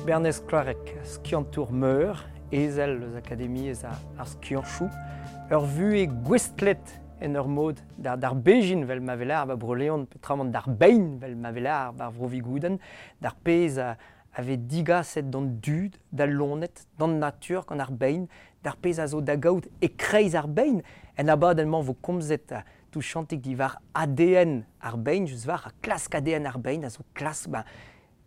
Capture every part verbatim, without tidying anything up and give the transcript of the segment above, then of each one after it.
Bernez Kloareg, skiantour meur, ezel eus akademiezh ar skianchoù, ur vuhez gouestlet en ur mod d'ar, d'ar bejin vel ma velar ba Bro-Leon, petramant d'ar bein vel ma velar bar Vro-Vigoudenn, d'ar pezh a, a vez digaset d'an dud, d'al loened, d'an natur gant ar bein, d'ar pezh a zo da gaout e-kreiz ar bein. En abadenn-mañ vo komzet touchantik diwar A D N ar bein, just war klask A D N ar bein, a zo klask ba,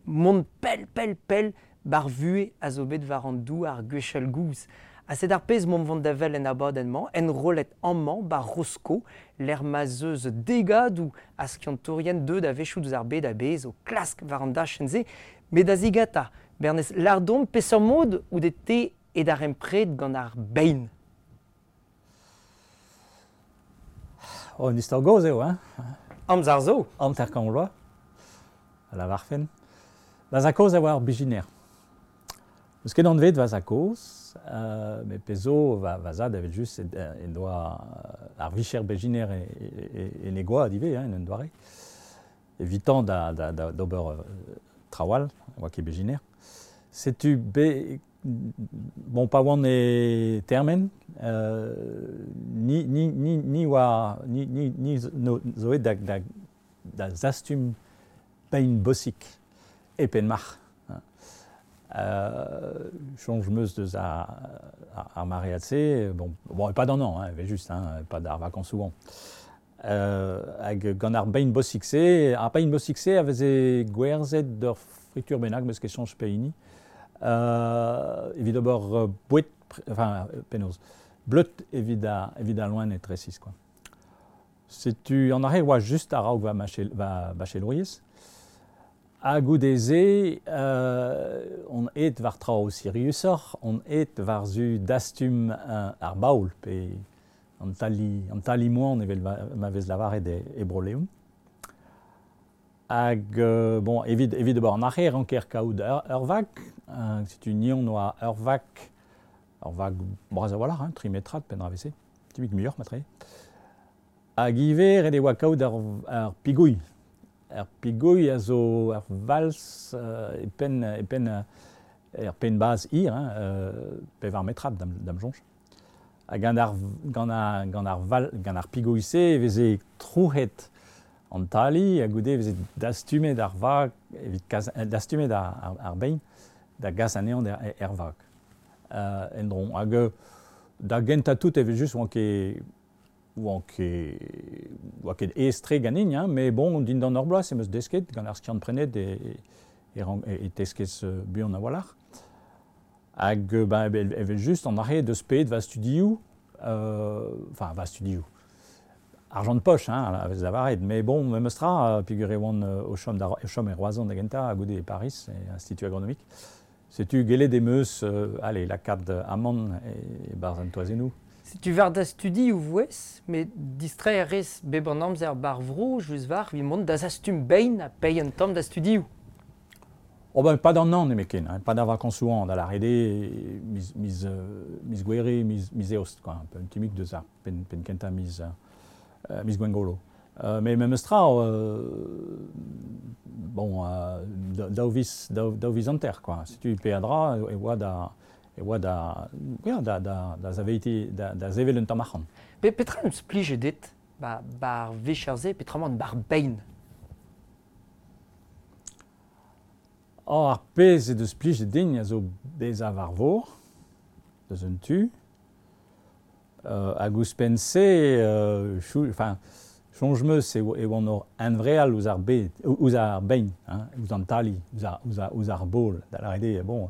mont pell, pell, pell, bar vuhez a zo bet war an douar gwechall gouz. Ha sed ar pezh mont vont da wel en abadenn-mañ, enrollet amañ bar Rosko, l'er ma zeus degadoù a skiantourien deut a-wechoù deus ar bed a-bezh o klask war an dachenn-se, met da zigata, Bernez Lardon, peseurt mod out te e darempred gant ar bein? Oh, un istor gozh eo, hein? Amzer zo. Hanter kant vloaz, a lavarfen. Va za-kozh a oa ur bezhiner. Eus ket anvet va za-kozh, euh, met pezh zo va, va zad evel just en doa ar vicher bezhiner e, e, e ne goa ivez, hein, en un doare. Evitant da, da, da, d'ober euh, trawal, oa ket bezhiner. Setu be, bon, pa oan e termen, euh, ni, ni, ni, ni oa, ni, ni, ni no, zo da, da, da zastum pein bosik e Penmarc'h. Euh, soñj meus deus ar, ar maread-se, bon, bon, pas d'an an, hein, evel just, hein, pas d'ar vacances souvent. Euh, hag gant ar bein bosik-se, ar bein bosik-se a veze gwerzhet d'ur fritur bennak meus ket soñj pehini. Euh, evit ober boued, enfin, penaos, bleud evit a, evit a loened resis, quoi. Setu an arre oa just a-raok va, va bachelouriezh. Ha goude-se, euh, on aet war traoù siriusoc'h, on aet war zu dastum euh, ar baol, pe an tali, an tali moan evel ma, ma vez lavaret e, e Bro-Leon. Hag, euh, bon, evit, evit ober an arre ranker kaout ur, ur vag, euh, setu nion oa ur vag, ur vag bras a-walc'h, hein, tri metrad penn ra veze, tibik muioc'h matre. Hag ivez ret e oa kaout ur, ur pigouilh. Ar pigouilh a zo ur vals euh, e penn, e penn, er penn baz hir, hein, euh, pevar metrad da'm, da'm soñj. Ha gant ar, gant ar, gant ar, val, gant ar pigouilh-se e veze trouc'het an tali, ha goude e veze dastumet ar vag, evit kas, dastumet ar, ar, ar bein, da gas anezhañ er, er vag. Euh, en-dro. Hag da gentañ tout evel just oan ket oan ket, oa ket aes-tre ganin, hein, met bon, dindan ur bloaz em eus desket, gant ar skiant-prenet e, e, e, e teskez buan a-walc'h. Hag ben, evel, evel just an arre deus pet va studioù, euh, enfin va studioù, argent de poche, hein, a vez lavaret, mais bon, memes tra, peogwir e oan o chom, da, o chom e Roazhon da gentañ, ha goude e Paris, e Institut Agronomique. Setu gellet em eus, euh, allez, lakaat amann e, e barzh an toazennoù. Setu war da studi ou vouez, met distreiñ a rez bep an amzer bar vro, just war, evit mont da zastum bein ha peiñ un tamm da studioù. Oh ben, pas d'an an nemetken, hein, pas d'ar vacances souvent, da lâret eo miz, miz, miz Gouere, miz, miz Eost, quoi, un peu un timik deus ar penn, penn kentañ miz, euh, miz Gwengolo. Euh, mais memes tra, euh, bon, euh, daou viz, daou, daou viz hanter, quoi. Setu peadra e oa da, e oa da, ya, da, da, da zaveiti, da, da sevel un tamm arc'hant. Pe, petra em splije dit, ba, bar vicher-se, petra emañ bar bein? Oh, ar pezh e deus plijet din a zo bezañ war vor, deus un tu. Euh, hag ouzhpenn-se, euh, chou, enfin, soñj meus e, e oan ur hunvreal ouzh ar bed, ouzh ar bein, hein, ouzh an tali, ouzh ar, ouzh ar, ouzh ar baol, da lâret eo, bon,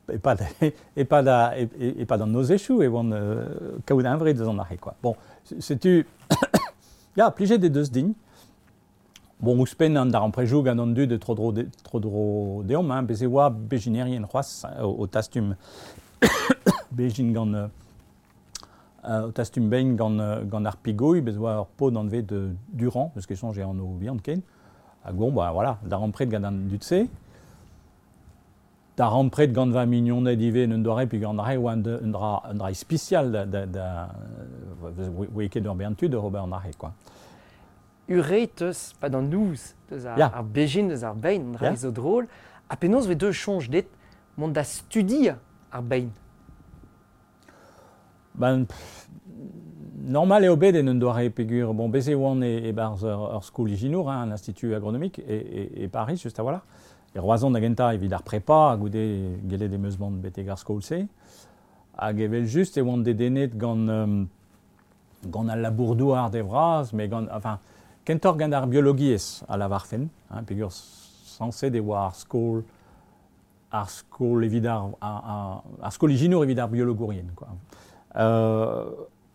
e pad, e pad, e, e pad an nozezhioù e oan euh, kaout hunvre deus an arre, quoi. Bon, setu, ya, plijet e deus din. Bon, ouzhpenn an darempredoù gant an dud tro-dro de, tro-dro deomp, hein, bez e oa bezhinerien c'hoazh o, o tastum bezhin gant euh, o tastum bein gant, gant ar pigouilh, bez e oa ur paotr anvet de Durand, eus ket soñj e anv bihan ken. Hag bon, bah, voilà, darempred gant an dud-se. Darempred gant va mignoned ivez en un doare, puis gant ar re oa un, un dra, un dra ispisial da, da, da, oa ket ur bern tud ober an arre, quoi. Ur teus, pas d'an nouz, deus ar, Ya. ar bezhin, deus ar bein, an dra Ya. zo drôle. Ha penaos vez deus soñj dit mont da studiañ ar bein? Ben, pff, normal eo bet en un doare pegur. Bon, bez e oan e, e-barzh ur, ur skol ijinour, hein, un institut agronomique, e, e, e Paris, just a-walc'h. E Roazhon da gentañ evit ar prepa, goude gellet em eus mont betek ar skol-se. Hag evel just e oan dedennet gant, um, gant al labour-douar de vras, mais gant, enfin, kentoc'h gant ar biologiezh a lavarfen, hein, pegur sañset e oa ar skol, ar skol evit ar, ar, ar, ar skol ijinour evit ar biologourien, quoi. Euh,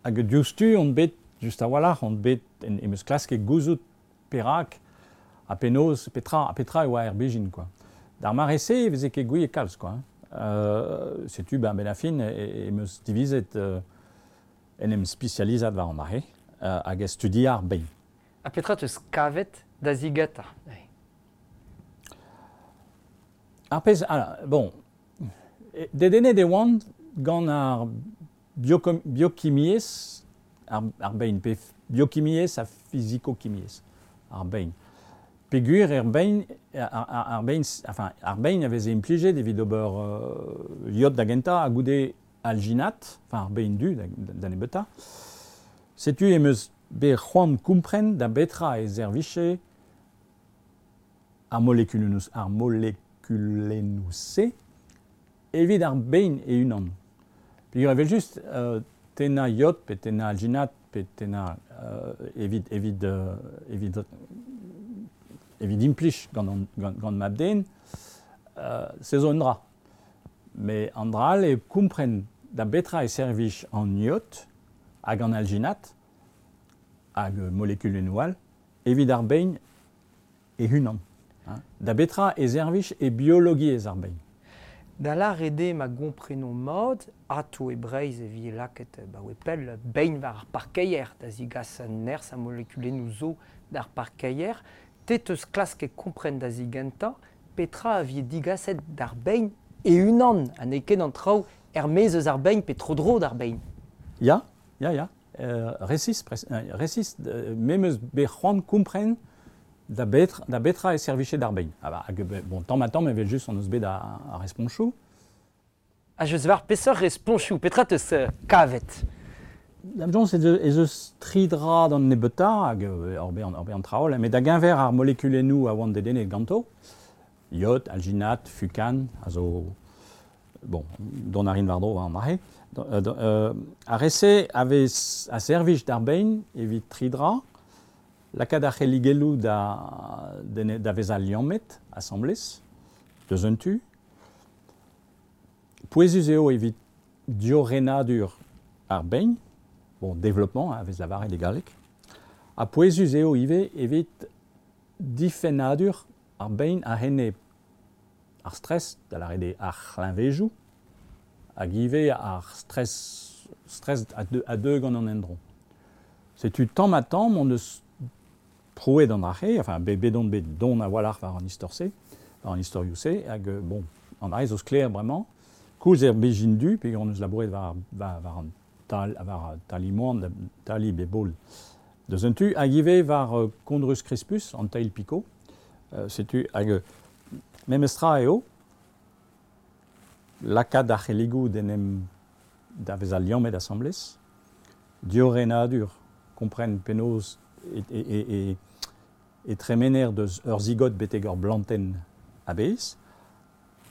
hag diouzhtu on bet, just a-walc'h, on bet en, em eus klasket gouzout perak ha penaos, petra, petra e oa er bezhin, quoi. D'ar mare-se e veze ket gouiet kalz, quoi. Euh, setu, ben, ben a fin, e, em eus divizet euh, en em spesializat war an dra-se, euh, hag e studiañ ar bein. Ha petra teus kavet da zigata? Ar pezh, ah, bon, dedennet e oan gant ar biokom, biokimiezh, ar, ar bein, pe biokimiezh ha fizikokimiezh, ar bein. Pegur er bein, ar, ar, ar bein, enfin, ar bein a veze implijet evit ober euh, iod da gentañ ha goude alginat, enfin ar bein du da, da nebeutañ. Setu em eus bet c'hoant kompren da betra e servije ar molekulennoù, ar molekulennoù-se evit ar bein e-unan. Peogwir evel just, euh, tennañ iod pe tennañ alginat pe tennañ euh, evit, evit, euh, evit, evit implij gant, an, gant, gant mab-den, euh, se zo un dra. Mais an dra all eo kompren da betra e servij an iod hag an alginat hag molekulennoù all evit ar bein e-unan. Hein. Da betra e servij e biologiezh ar bein. Da lâret eo ma gomprenon mat, ato e Breizh e vi lakaet ba oe pell bein war ar parkeier, da zigas nerzh ha molekulennoù zo d'ar parkeier, te teus klasket kompren da zigentañ petra a vi digaset d'ar bein e-unan, ha n'eo ket an traoù er-maez eus ar bein pe tro-dro d'ar bein. Ya, ya, ya. Euh, resis, pres, euh, resis, euh, me 'm eus bet c'hoant kompren da betra, da betra e servije d'ar bein. Ah bah, hag, bon, tamm ha tamm evel just on eus bet a, a responchoù. Ha just war peseurt responchoù, petra teus euh, kavet? Da'm soñj ez eus tri dra d'an nebeutañ hag ur bet ur bet an traoù, met da geñver ar molekulennoù a oan dedennet ganto, iod, alginat, fukan, a zo, bon, dont a rin war-dro an dra-se. Euh, ar re-se a vez a servij d'ar bein evit tri dra, lakaat ar c'helligelloù da, da vezañ liammet asambles, deus un tu. Pouezus eo evit diorrenadur ar bein, bon, développement, hein, a vez lavaret e galleg. Ha pouezus eo ivez evit difennadur ar bein a-enep ar stress, da lâret eo ar c'hleñvejoù, hag ivez ar stress, stress a deu, a deu gant an endro. Setu tamm ha tamm on eus prouet an dra-se, enfin, bet, bet on bet don a-walc'h war an istor-se, war an istorioù-se, hag bon, an dra-se zo sklaer bremañ, koulz er bezhin du, pe on eus labouret war, war, war an tal, war talimoan, tali bebol deus un tu, hag ivez war uh, Chondrus crispus, an teil piko, uh, setu hag memestra eo, lakaat ar c'helligoù d'en em da vezañ liammet asambles, diorrenadur, kompren penaos e, e, e, e, e tremener deus ur zigot betek ur blantenn a-bezh,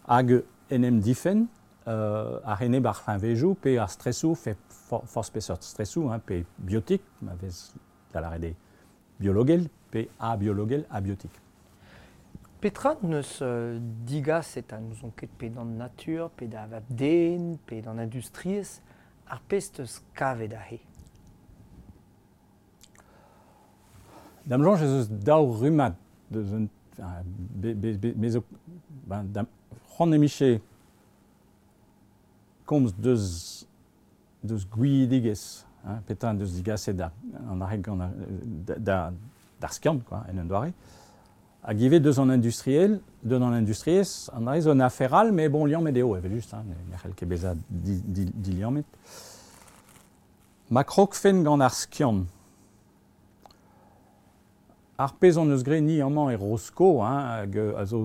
hag en em difenn euh, ar enep ar c'hleñvejoù pe ar stresoù, fe for, forzh peseurt stresoù, hein, pe biotik, ma vez da lâret eo biologel, pe abiologel, abiotik. Petra neus euh, digaset ha n'ouzon ket pe d'an natur, pe da vab-den, pe d'an industriezh, ar pezh teus kavet aze? Da'm soñj ez eus daou rummad deus un, enfin, be, be, be, me zo, ben, da'm, c'hoant em bije komz deus, deus gouiziegezh, hein, petra en deus digaset da, an arreg gant ar, da, da, d'ar skiant, quoi, en un doare. Hag ivez deus an industriel, deus an industriezh, an dra zo un afer all, mais bon, liammet eo, evel just, hein, ne c'hell ket bezañ di, di, diliammet. Ma krogfen gant ar skiant. Ar pezh hon eus graet ni amañ e Rosko, hein, hag a zo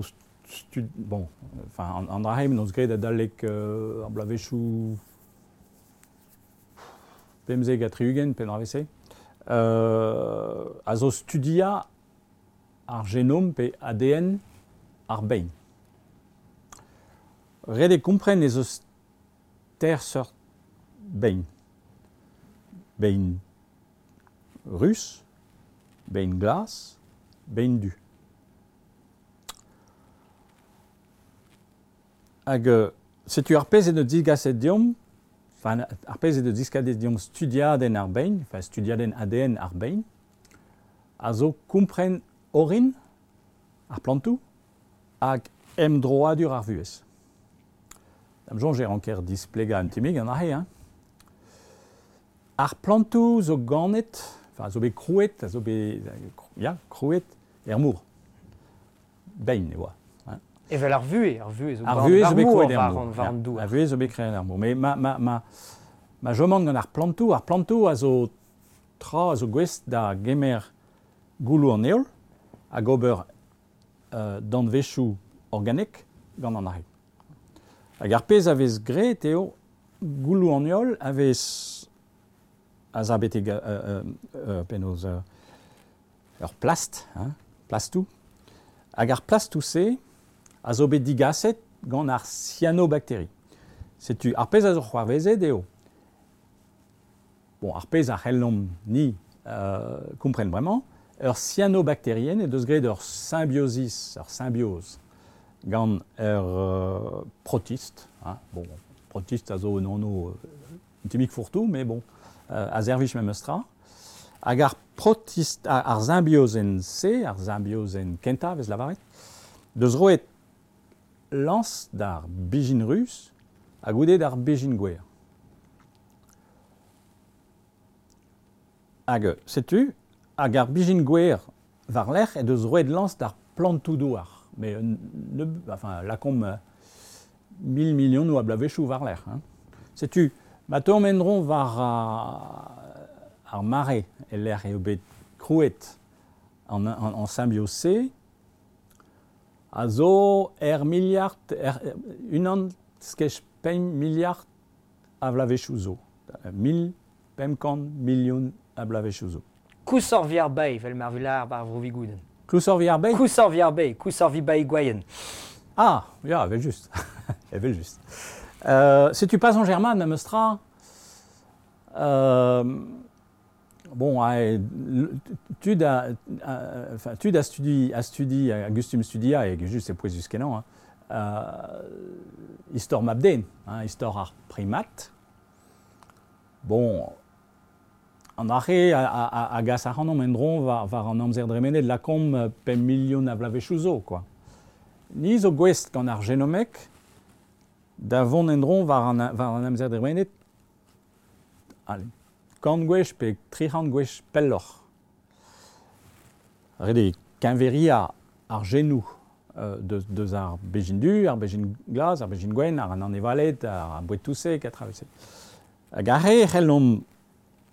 stud, bon, enfin, an, an draheim n'eus graet adalek euh, ar bloavezhioù pemzek ha tri-ugent pe dra-se, euh, a zo studia ar genom pe A D N ar bein. Ret eo kompren ez eus ter seurt bein. Bein rus, bein glas, bein du. Hag setu ar pezh eo digaset deomp, enfin, ar pezh eo diskadet deomp studiadenn ar bein, enfin studiadenn A D N ar bein, a zo kompren orin ar plantoù hag emdroadur ar vuhez. Da'm soñj e ranker displegañ un tammig an aze, hein. Ar plantoù zo ganet, enfin zo bet krouet, a zo bet, ya, krouet er mor. Bein e oa. Hein. Evel ar vuhez, ar vuhez zo Ar vuhez zo bet krouet er war mor. an, war an douar. Ar vuhez zo bet krouet er mor. Mais ma, ma, ma, ma jomant gant ar plantoù, ar plantoù a zo tra a zo gouest da gemer gouloù an heol hag ober euh, danvezioù organek gant an aze. Hag ar pezh a vez graet eo gouloù an heol a vez a za betek euh, euh, penaos euh, ur plast, hein, plastoù. Hag ar plastoù-se a zo bet digaset gant ar cyanobactérie. Setu ar pezh a zo c'hoarvezet eo. Bon, ar pezh a c'hellomp ni euh, kompren bremañ, ur cyanobactérienne e deus graet ur symbiosis, ur symbiose gant ur euh, protiste, hein, bon, protiste a zo un anv euh, un tammig fourre-tout, mais bon, euh, a servij memes tra. Hag ar protiste, ar, ar symbiosenn se, ar symbiosenn kentañ vez lavaret, deus roet lañs d'ar bijin rus hag goude d'ar bijin gwer. Hag setu, hag ar bijin gwer war-lerc'h e deus roet lañs d'ar plantoù douar. Mais ne, enfin, lakomp euh, mil milionoù a bloavezhioù war-lerc'h. Hein. Setu, ma taom endron war uh, ar mare e lec'h eo bet krouet an, an, an symbiose, a zo er miliard, er, unan skech pemp miliard a bloavezhioù zo. Mil pemp kant milion a bloavezhioù zo. Kousor vi ar bae, vel mar vilar bar vro Vigouden. Kousor vi ar bae? Kousor vi ar bae, kousor vi bae gwaien. Ah, ya, evel just. Evel just. Euh, setu pas en german, memes tra. Euh, bon, tud a, enfin, tud a studi, a studi, a gustum studia, hag just e pouezus kenañ, hein, euh, istor mab-den, hein, istor ar primat. Bon, an arre a, a, a gas ac'hanomp endron war, war an amzer dremenet lakomp pemp milion a bloavezhioù zo, quoi. Ni zo gouest gant ar genomek da vont endron war an, war an amzer dremenet, allez, kant gwech pe tri c'hant gwech pelloc'h. Ret eo keñveria ar genoù euh, deus, deus ar bejin du, ar bejin glas, ar bejin gwenn, ar an anevaled, ar boued-touseg, a travezet. Hag ar re c'hellomp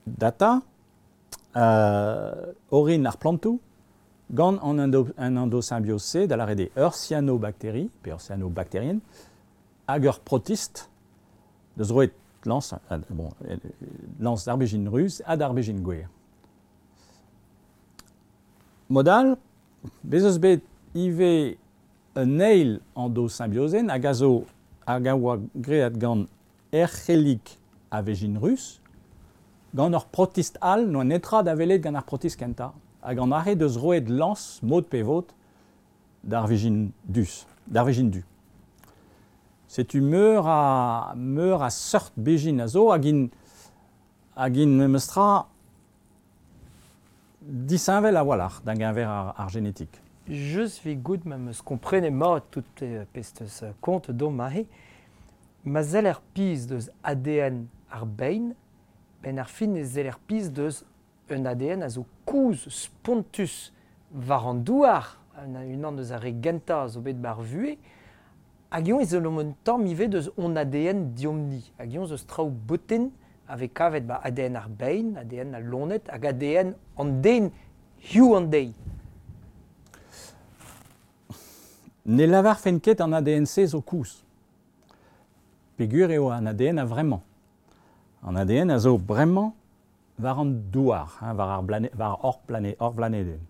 data euh, orin ar plantoù gant an endo, an endosymbiose da lâret eo ur cyanobactérie, pe ur cyanobactérienne, hag ur protiste deus roet lañs, euh, bon, lañs d'ar bejin ruz ha d'ar bejin gwer. Modal, bez eus bet ivez un eil endosymbiosène hag a zo hag a oa graet gant erc'hellig a vejin rus, gant ur protiste all n'oa netra da welet gant ar protiste kentañ, hag an arre deus roet lañs mod pe vod d'ar vejin dus, d'ar vejin du. Setu meur a, meur a seurt bejin a zo hag int, hag int memes tra disheñvel a-walc'h da geñver ar, ar genetik. Just vi gout ma meus komprenet mat tout pezh teus kont dom aze, ma sell ar piz deus A D N ar bein, ben ar fin e sell ar piz deus un A D N a zo kouz spontus war an douar, un, unan deus ar re gentañ a zo bet bar vuhez, hag eñ ez eus un tamm ivez deus on A D N diomp-ni. Hag eñ eus traoù boten a vez kavet ba A D N ar bein, A D N al loened, hag A D N an den, hiziv an deiz. Ne lavarfen ket an A D N-se zo kouz. Pegur eo an A D N a vremañ. An A D N a zo bremañ war an douar, hein, war ar blane, war hor plane, hor blanedenn.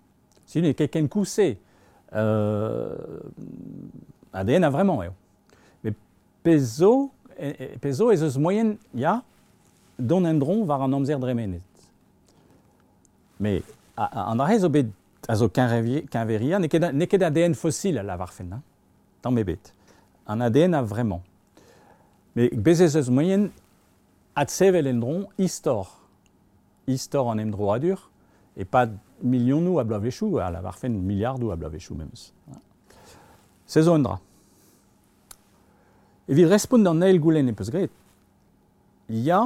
Si n'eo ket ken kouz-se, euh, A D N a vremañ eo. Met pezh zo, e, e, pezh zo ez eus moaien, ya, dont en-dro war an amzer dremenet. Mais a, a, an dra-se zo bet a zo keñveria, n'eo ket, n'eo ket A D N fosil a lavarfen, hein, tamm ebet. An A D N a vremañ. Mais bez ez eus moaien adsevel en-dro istor. Istor an emdroadur, e pad milionoù a bloavezhioù, a lavarfen miliardoù a bloavezhioù memes. Se zo un dra. Evit respont d'an eil goulenn e peus graet, ya,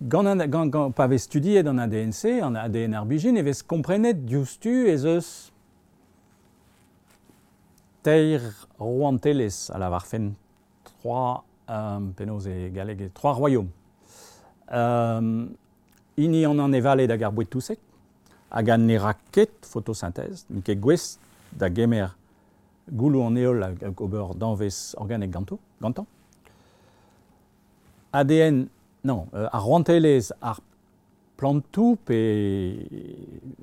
gant an, gant, gant, pa vez studiet an A D N-se, an A D N ar bijin, e vez komprenet diouzhtu ez eus teir rouantelezh a lavarfen trois, euh, penaos e galleg, trois royaumes. Euh, hini an an evaled hag ar boued touseg, hag an ne ra ket photosynthèse, n'eo ket gouest da gemer gouloù an heol hag ober danvez organek ganto, gantañ. A D N, non, euh, ar rouantelezh ar plantoù pe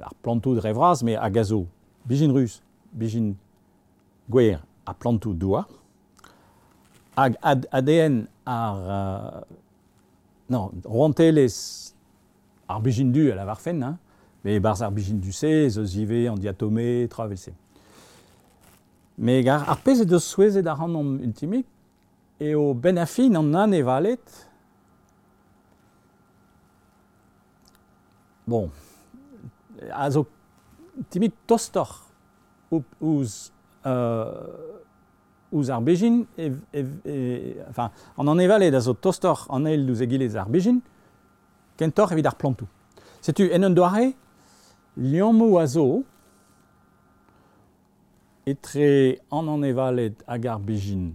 ar plantoù dre vras, met hag a zo bijin ruz, bijin gwer ha plantoù douar. Hag A D N ar, euh, non, rouantelezh ar bijin du a lavarfen, hein, met barzh ar bijin du-se, ez eus ivez an diatome, tra evel-se. Met ar, ar pezh e deus souezhet ac'hanomp ultimik eo ben a fin an anevaled. Bon, a zo timik tostoc'h ouzh, euh, ouzh ar bezhin, e, e, e, enfin, an anevaled a zo tostoc'h an eil ouzh egile ar bezhin, kentoc'h evit ar plantoù. Setu, en un doare, liammoù a zo etre an anevaled hag ar bezhin,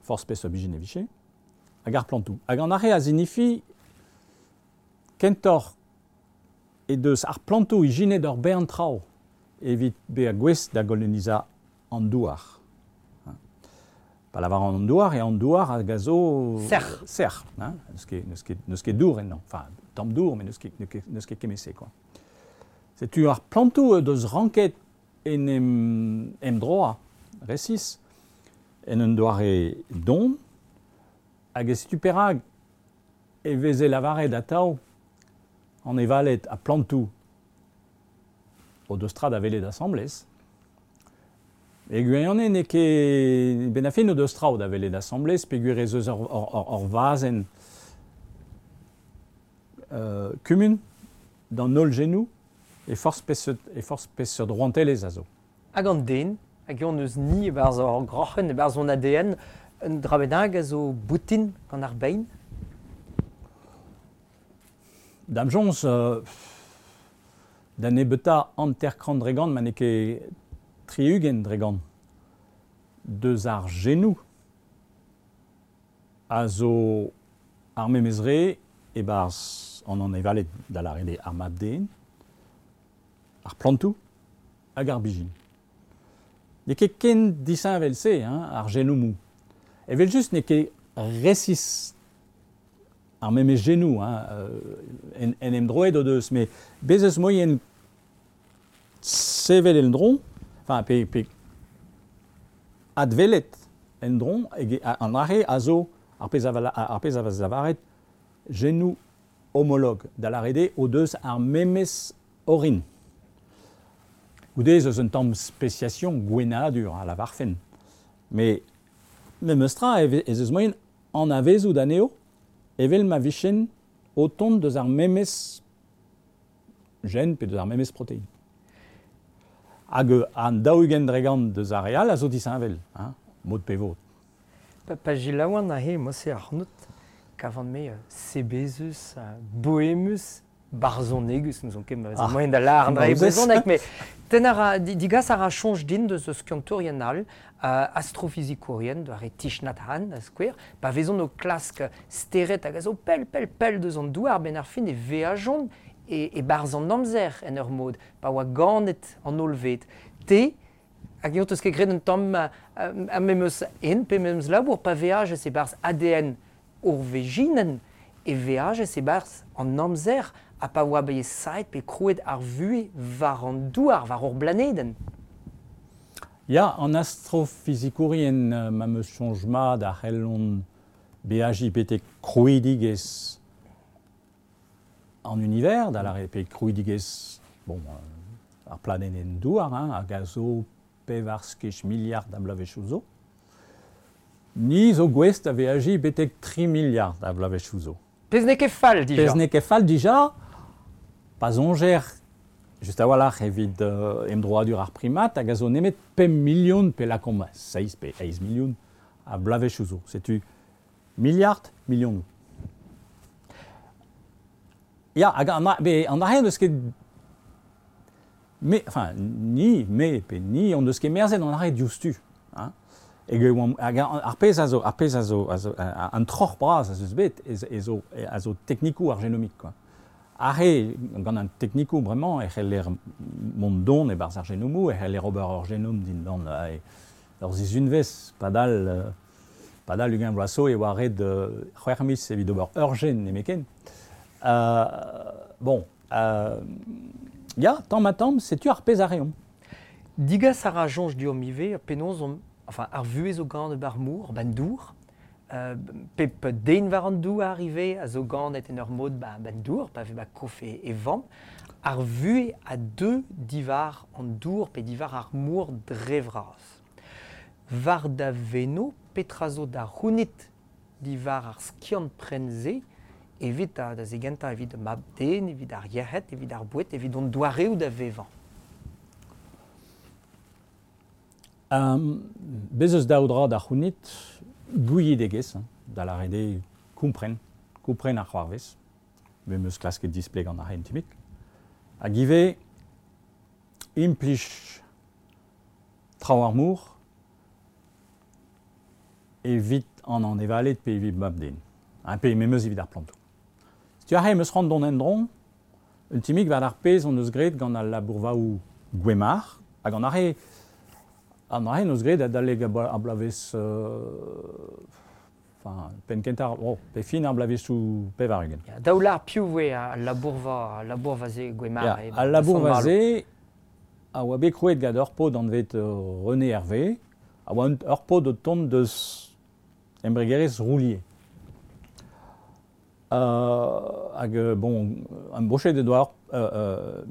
forzh peseurt bezhin e vije, hag ar plantoù. Hag an arre a zinifi kentoc'h e deus ar plantoù ijinet ur bern traoù evit bezañ gouest da golonizañ an douar. Pa lavar an douar, e an douar hag a zo... Sec'h. Sec'h, hein, n'eus ket, n'eus ket, n'eus ket dour ennañ. Enfin, tamm dour, mais n'eus ket, n'eus ket, n'eus ket kement-se, quoi. Setu ar plantoù deus ranket en em, emdroañ, resis, en un doare don, hag e setu perak e veze lavaret atav an evaled ha plantoù o deus tra da welet asambles. E gwirionez n'eo ket ben a fin o deus tra da welet asambles, peogwir ez eus ur, ur, ur, ur vazenn euh, kumun d'an holl genoù e forzh peseurt, e forzh peseurt rouantelezh a zo. Hag an den, hag eo eus ni e-barzh hor groc'hen, e-barzh hon A D N, un dra bennak a zo boutin gant ar bein? Da'm soñj, euh, da nebeutañ hanter-kant dre gant, ma n'eo ket tri-ugent dre gant, deus ar genoù a zo ar memes re e-barzh an anevaled da lâret eo ar mab-den, ar plantoù hag ar bijin. N'eo ket ken disheñvel-se, hein, ar genomoù. Evel-just n'eo ket resis ar memes genoù, hein, en, en emdroet o deus, met bez eus moaien sevel en-dro, enfin, pe, pe advelet en-dro, hag an arre a zo ar pezh a va, ar pezh a vez lavaret genoù homolog, da lâret eo o deus ar memes orin. Goude ez eus un tamm spesiasion gwennadur a lavarfen. Met memes tra ez eus moaien anavezout anezho evel ma vichen o tont deus ar memes gen pe deus ar memes protein. Hag an daou-ugent dre gant deus ar re all a zo disheñvel, hein, mod pe vod. Pa, pa gilaouan aze, mo-se ac'hanout, kavan me sebezus, boemus, barzhonegus, n'ouzon ket ma vez moaien da lâr an dra e brezhoneg, met ten a ra, digas a ra soñj din deus skiantourien all, uh, astrofizikourien, doare Thich Nhat Hanh, da skouer, pa vezont o klask stered hag a zo pell, pell, pell deus an douar, ben ar fin e veajont e, e barzh an amzer en ur mod, pa oa ganet an hollved. Te, Hag eus ket graet un tamm a memes en pe memes labour pa veaj e barzh A D N ur vejinen e veaj e barzh an amzer ha pa oa bet saet pe krouet ar vuhez war an douar, war ur blanedenn. Ya, an astrofizikourien ma meus soñj mat a c'hellont beajiñ betek krouidigezh an univers, da lâret pe krouidigezh bon, ar planedenn douar, hein, hag a zo pevar skej miliard a bloavezhioù zo. Ni zo gouest a veajiñ betek tri miliard a bloavezhioù zo. Pezh n'eo ket fall dija. Pezh n'eo ket fall dija, pa soñjer just a-walc'h evit euh, emdroadur ar primat hag a zo nemet pemp milion pe lakaomp seizh pe eizh milion a bloavezhioù zo. Setu miliard, milionoù. Ya, hag an, an arc'hent n'eus ket... Me, enfin, ni, me, pe ni, on deus ket merzet an arc'hent diouzhtu. Hein. Hag, hag ar pezh a zo, ar pezh a zo, a zo an troc'h bras a zo bet, e zo, a zo teknikoù ar genomik, quoi. Ar re, gant an teknikoù bremañ, e c'heller mont don e-barzh ar genomoù, e c'heller ober ur genom dindan ur sizhunvezh, padal, padal ugent vloaz zo e oa ret c'hwec'h miz evit ober ur gen nemetken. Euh, bon, euh, ya, tamm ha tamm, setu ar pezh a reomp. Digas a ra soñj deomp ivez, penaos omp, enfin, ar vuhez zo ganet bar mor, ban dour, euh, pep den war an douar ivez a zo ganet en ur mod ba, ban dour, pa vez ba kof e, e vamm, ar vuhez a deu diwar an dour pe diwar ar mor dre vras. War da veno, petra zo da c'hounit diwar ar skiant pren-se, evit da, da zegentañ, evit mab den, evit ar yec'hed, evit ar boued, evit hon doareoù da vevañ. Um, bez eus daou dra da c'hounit gouiedegezh, da lâret eo kompren, kompren ar c'hoarvez, me meus klasket displeg an arc'hent timik, hag ivez implij traoù ar mor evit an anevaled pe evit mab den, hein, pe memes evit ar plantoù. Setu aze meus c'hoant dont en-dro, un timik war ar pezh hon eus graet gant al labourvaoù Gwemar, hag an arc'he an arc'he eus graet adalek ar bloavezh euh, enfin, penn kentañ, oh, pe fin ar bloavezhioù pevar-ugent. Ya, daou lar piv voe al labourva, al labourva-se Gwemar. Ya, al labourva-se a oa bet krouet gant ur paotr anvet René Hervé, a oa ur paotr o tont deus embregerezh Roulier. Euh, hag, bon, an boched e doa euh,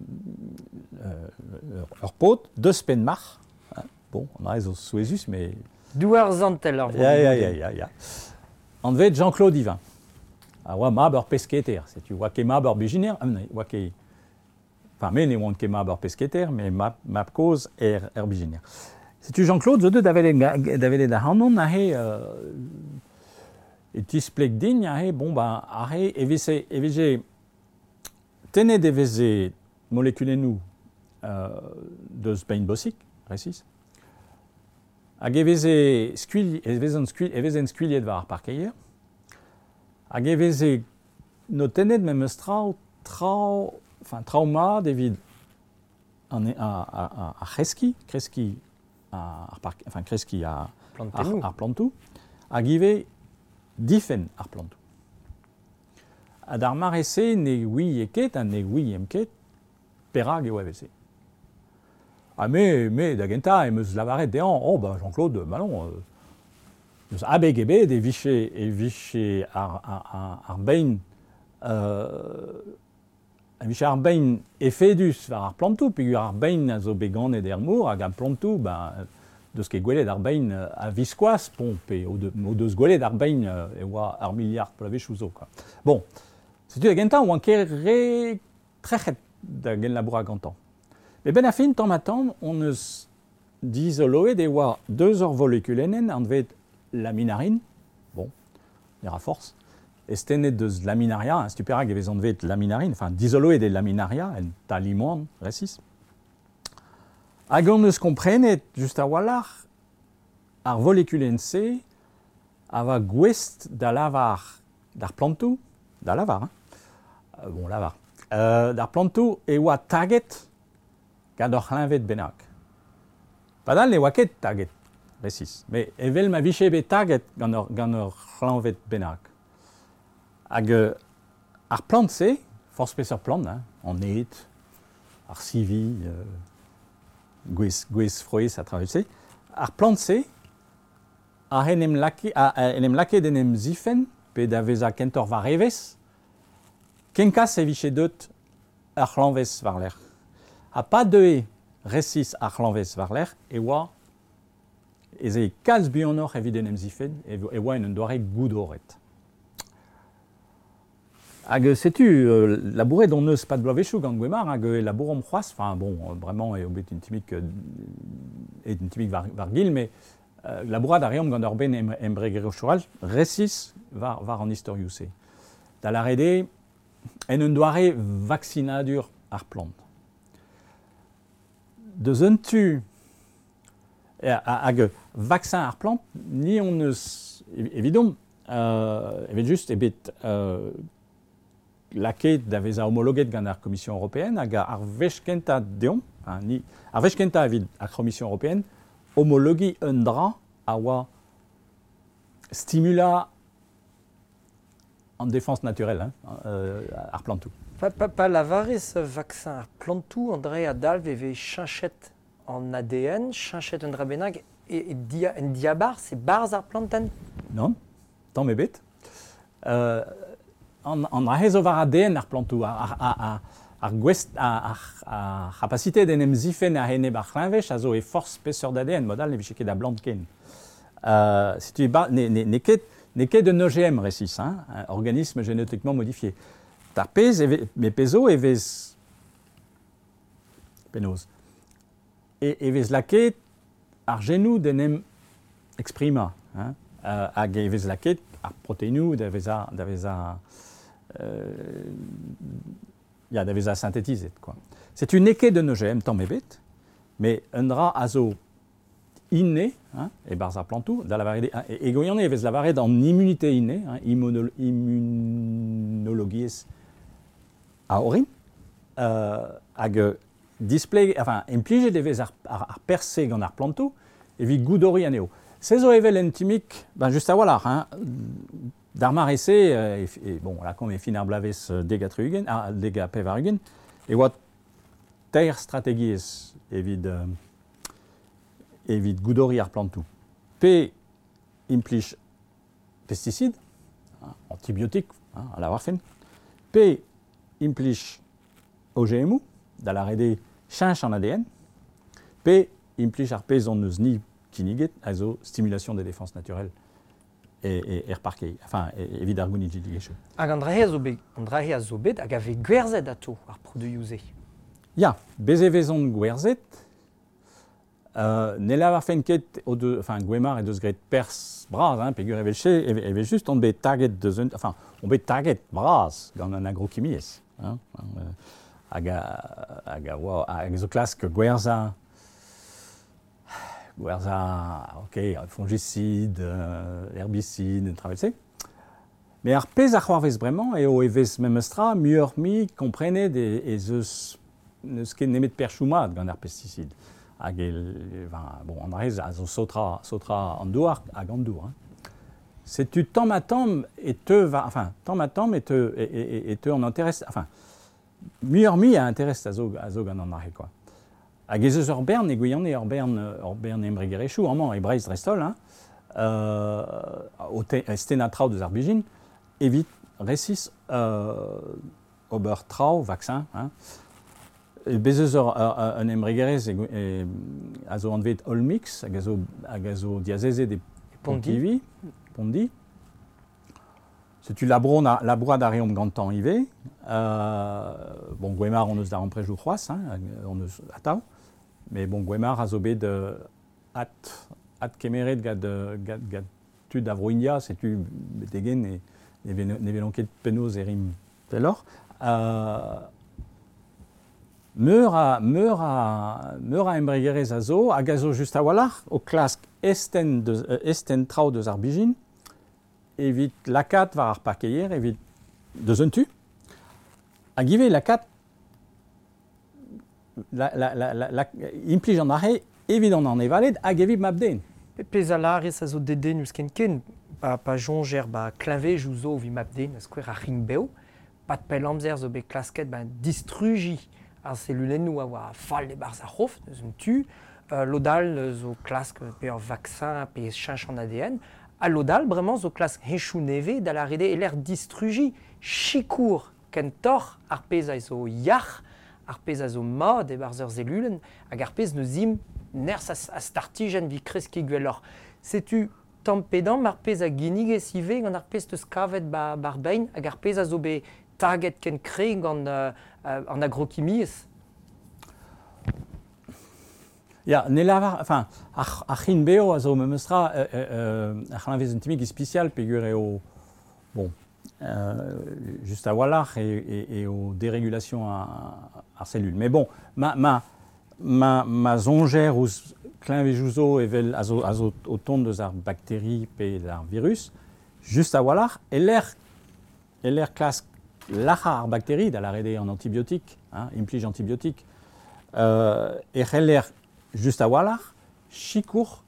euh, ur paotr deus Penmarc'h. Hein, bon, on a zo souezhus, mais... Douar zantel ar vro. Ya, ya, ya, ya, ya. Anvet Jean-Claude Yvain. A oa mab ur pesketer. Setu oa ket mab ur bezhiner, oa ket... Enfin, me ne oan ket mab ur pesketer, mais mab, mab kozh er, er bezhiner. Setu Jean-Claude zo deut da welet ac'hanon aze... Euh, e tispleg din aze, bon, ben, aze, e veze, e veze tennet e veze molekulennoù euh, deus bein bosik, resis, hag e veze skuilh, e vezen skuilh, e vezen skuilhet war ar parkeier, hag e veze notennet memes traoù, traoù, enfin, traoù mat evit an, a, a, a, a c'hreskiñ, kreskiñ ar park, enfin, kreskiñ ar, ar, ar plantoù, hag ivez difenn ar plantoù. Ha d'ar mare-se ne ouie ket ha ne ouiem ket perak e oa evel-se. Ha me, me da gentañ em eus lavaret dezhañ, oh ben Jean-Claude, ma non, euh, eus abeg ebet e vije, e vije ar, ar, ar, ar bein euh, e vije ar bein efedus war ar plantoù, peogwir ar bein a zo bet ganet er mor hag ar plantoù, ben, deus ket gwelet ar bein a viskoazh, bon, pe o, de, o deus gwelet ar bein e oa ar miliard bloavezhioù zo, quoi. Bon, setu da gentañ oan ket re trec'het da genlabourañ gantañ. Met ben a fin, tamm ha tamm, on eus dizoloet e oa deus ur volekulenn anvet laminarine, bon, ne ra forzh, estenet deus laminaria, hein, setu perak e vez anvet laminarine, enfin, dizoloet e laminaria, en talimoan, resis. Hag on eus komprenet, just a-walc'h, ar volekulenn-se a va gouest da lavar d'ar plantoù, da lavar, hein, euh, bon, lavar, euh, d'ar plantoù e oa taget gant ur c'hleñved bennak. Padal ne oa ket taget, resis. Me evel ma vije bet taget gant ur, gant ur c'hleñved bennak. Hag euh, ar plant-se, forzh peseurt plant, hein, an ed, ar sivi, euh, gwez, gwez frouezh a traoù-se, ar plant-se a en em lake, a, a en em lake d'en em zifenn pe da vezañ kentoc'h war evezh, kenkas e vije deut ar c'hlañvez war-lerc'h. Ha pa deue resis ar c'hlañvez war-lerc'h e oa ez eo kalz buanoc'h evit en em zifenn e, e oa en un doare goudoret. Hag setu, euh, labouret on eus pad bloavezhioù gant Gwemar, hag e labouromp c'hoazh, enfin bon, vraiment eo bet un timik, euh, un timik war, war gil, mais euh, labourat a reomp gant ur ben em, embregerezhioù all, resis war, war an istorioù-se. Da lâret eo, en un doare vaksinadur ar plant. Deus un tu, hag vaksin ar plant, ni on eus, evidomp, euh, evel just, e bet euh, lakaet da vezañ homologet gant ar Commission européenne hag ar wech kentañ deomp, hein, ni, ar wech kentañ evit ar Commission européenne, homologiñ un dra a oa stimula an défense naturelle, hein, euh, ar plantoù. Pa, pa, pa lavarez vaksin ar plantoù, André a dalv e vez cheñchet an A D N, cheñchet un dra bennak, e, e dia, en diabarzh, c'est barzh ar plantenn? Non, tamm ebet. Euh, an, an dra zo war A D N ar plantoù, ar, ar, ar, ar gwest, ar, ar, ar c'hapasite d'en em zifenn a-enep ar c'hleñvej a zo e forzh peseurt A D N, mod all ne vije ket a blant ken. Euh, setu ba, ne, ne, ne ket, ne ket un O G M resis, hein, un organisme génétiquement modifié. D'ar pezh, e ve, me pezo e vez penaos. E, e vez lakaet ar genoù d'en em exprima, hein, euh, hag e vez lakaet ar proteinoù da vezañ, da vezañ, euh, ya, da vezañ synthétisé, quoi. Setu n'eo ket un O G M tamm ebet, mais un dra a zo inné, hein, e barzh ar plantoù, da lavaret, hein, e, e gwirionez e vez lavaret an immunité innée, hein, immunolo-, immunologiezh a orin, euh, hag display, enfin, implijet e vez ar, ar, ar perse gant ar plantoù evit goudoriñ anezho. Se zo evel en timik, ben just a-walc'h, hein, d'ar mare-se, e, e, bon, là, kom e fin ar bloavezh deg ha tri-ugent, ah, deg ha pevar-ugent, e oa teir strategiezh evit, euh, evit goudoriñ ar plantoù. Pe implij pesticide, hein, antibiotik, hein, a lavar fin, pe implij O G M O, da lâret eo cheñch an A D N, pe implij ar pezh hon eus ni kinniget, a zo stimulation des défenses naturelles e, e, er parkei, enfin, e, evit ar gounidegezhioù. Hag an dra-se a zo bet, an dra-se a zo bet hag a vez gwerzhet atao ar produioù-se. Ya, bez e vezont gwerzhet. Euh, ne lavarfen ket o deus, enfin, Gwemar e deus graet perzh bras, hein, peogwir evel-se, evel, evel just on bet taget deus un, enfin, on bet taget bras gant an agrokimiezh, hein, hein, hag a, hag a oa, hag zo klask gwerzhañ, gwerzhañ, ok, fongicide, euh, herbicide, travel-se. Mais ar pezh a c'hoarvez bremañ eo e vez memestra muioc'h-mui komprenet e, ez eus n'eus ket nemet perchoù mat gant ar pesticide. Hag e, enfin, bon, an dra-se a zo saotra, saotra an douar hag an dour. Hein. Setu tamm ha tamm e teu va, enfin, tamm ha tamm e teu, e, e, e, e teu an interest, enfin, muioc'h-mui a interest a zo, a zo gant an dra-se, quoi. Hag ez eus ur bern e gwirionez, ur bern, ur bern embregerezhioù amañ e Breizh dreist-holl, hein, euh, o te, stennañ traoù deus ar bijin, evit resis, euh, ober traoù, vaksin, hein. E bez eus ur, ur, un embregerezh e, e, a zo anvet Olmix, hag a zo, hag a zo diazezet e Pondi. Pontivy, Pondi. Setu labourat a, labourat a reomp gantañ ivez. Euh, bon, Gwemar on eus da amprejoù c'hoazh, hein, on eus atav. Mais bon, Gwemar a zo bet, euh, at, at kemeret gant, gant, gant tud a Vro-India, setu betegen e, ne ven, ne velon ket penaos e rim pelloc'h. Euh, meur a, meur a, meur a embregerezh a zo, hag a zo just a-walc'h o klask esten deus, euh, esten traoù deus ar bijin, evit lakaat war ar parkeier, evit deus un tu, hag ivez lakaat la, la, la, la, la, implij an arre evit an anevaled hag evit mab-den. Pezh a lârez a zo dedennus ken-ken, pa, pa soñjer ba kleñvedoù zo evit mab-den, skouer ar c'hrign-bev, pad pell amzer zo bet klasket ben distrujiñ ar selulennoù a oa fall e-barzh ar c'hof, eus un tu, euh, lod all zo klask pe ur vaksin pe cheñch an A D N, ha lod all bremañ zo klask heñchoù nevez da lâret eo e-lec'h distrujiñ sikour kentoc'h ar pezh a zo yac'h, ar pezh a zo mat e-barzh ur selulenn, hag ar pezh neus imp nerzh a, a startijenn evit kreskiñ gwelloc'h. Setu tamm pe damm ar pezh a ginnigez ivez gant ar pezh teus kavet ba, bar bein hag ar pezh a zo bet taget ken kre gant euh, an agrokimiezh. Ya, ne lavar, enfin, ar, ar c'hin beo a zo memestra euh, euh, ar c'hlañvez un timig ispisial peogwir eo, bon, euh, just a-walc'h e, e, e o dérégulation ar, ar cellule. Mais bon, ma, ma, ma, ma soñjer ouzh kleñvejoù zo evel a zo, a zo o tont deus ar bakteri pe ar virus, just a-walc'h, e-lec'h, e-lec'h klask lac'hañ ar bakteri, da lâret eo an antibiotik, hein, implij antibiotik, euh, e c'heller just a-walc'h, sikour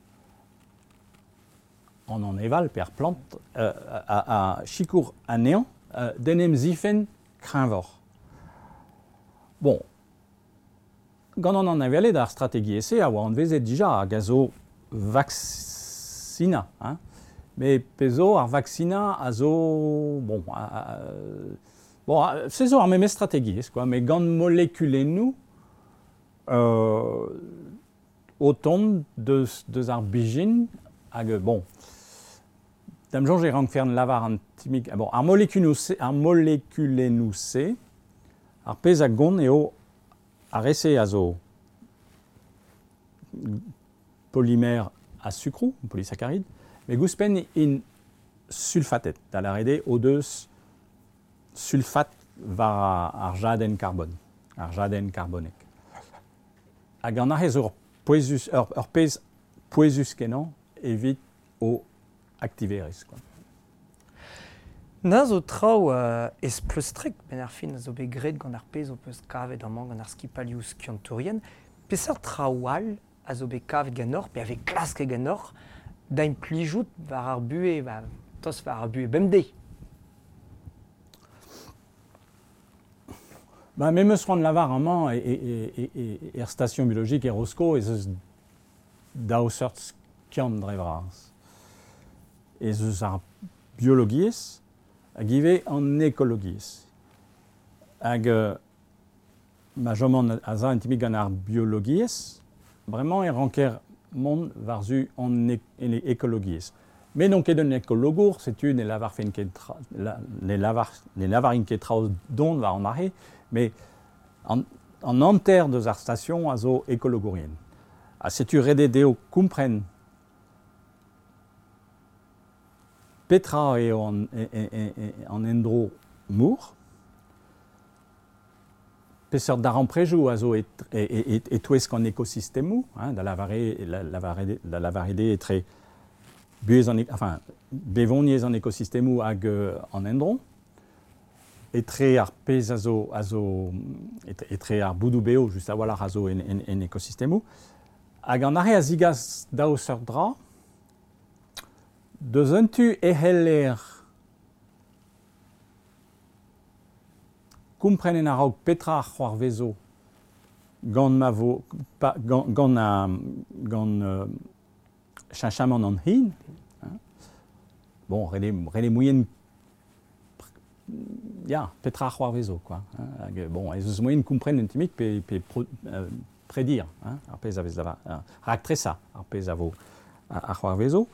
an aneval pe ar plant, euh, a, a, sikour anezhañ euh, d'en em zifenn kreñvoc'h. Bon, gant an anevaled ar strategiezh-se a oa anvezet dija hag a zo vaksina, hein. Mais pezo ar vaksina a zo, bon, a, a, bon, a, se zo ar memes strategiezh, quoi, mais gant molekulennoù euh, o tont deus, deus ar bijin hag, bon, da'm soñj e rankfern lavar an timig, bon, ar molekulennoù se, ar molekulennoù se, ar pezh a gont eo ar re-se a zo polymère a sukroù, polysaccharide, mais gouspenn int sulfatet, da lâret eo o deus sulfat war ar jadenn karbon, ar jadenn karbonek. Hag an aze zo ur pouezus, ur, ur pezh pouezus kenañ evit o aktiverezh, quoi. Na zo traoù euh, ez pleustrek, ben ar fin a zo bet graet gant ar pezh o peus kavet amañ gant ar skipalioù skiantourien. Peseurt traoù all a zo bet kavet ganeoc'h, pe a vez klasket ganeoc'h, da implijout war ar buhez, ba, tost war ar buhez bemdez? Ba, me 'meus c'hoant lavar amañ e, e, e, e, er station biologique e Rosko ez eus daou seurt skiant dre vras. Ez eus ar biologiezh hag ivez an ekologiezh. Hag euh, ma chomont a za un timig gant ar biologiezh, bremañ e ranker mont war-zu an ek-, en ekologiezh. Mais n'on ket un ekologour, setu ne lavarfen ket tra, la, ne lavar, ne lavarin ket traoù don war an arre, mais an, an hanter deus ar station a zo ekologourien. Ha setu ret eo dezho kompren petra eo an, e, e, e, e, an endro mor, peseurt darempredoù a zo et, e, e, e, e-touesk an ekosistemoù, hein, da lavare, la, lavare, da lavaret eo etre buhez an, enfin, bevoniezh an ekosistemoù hag euh, an endro, etre ar pezh a zo, a zo, etre, etre ar boudoù beo, just a-walc'h a zo en, en, en ekosistemoù, hag an arre a zigas daou seurt dra, deus un tu e c'heller kompren en a-raok petra ar c'hoarvezo gant ma vo, pa, gant, gant a, gant, euh, cheñchamant an hin, hein. Bon, ret eo, ret eo moien ya, petra ar c'hoarvezo, quoi, hein. Hag, bon, ez eus moien kompren un timig pe, pe pro, euh, prédire, hein, ar pezh a vez lava, hein, raktresa ar pezh a vo ar, ar c'hoarvezo.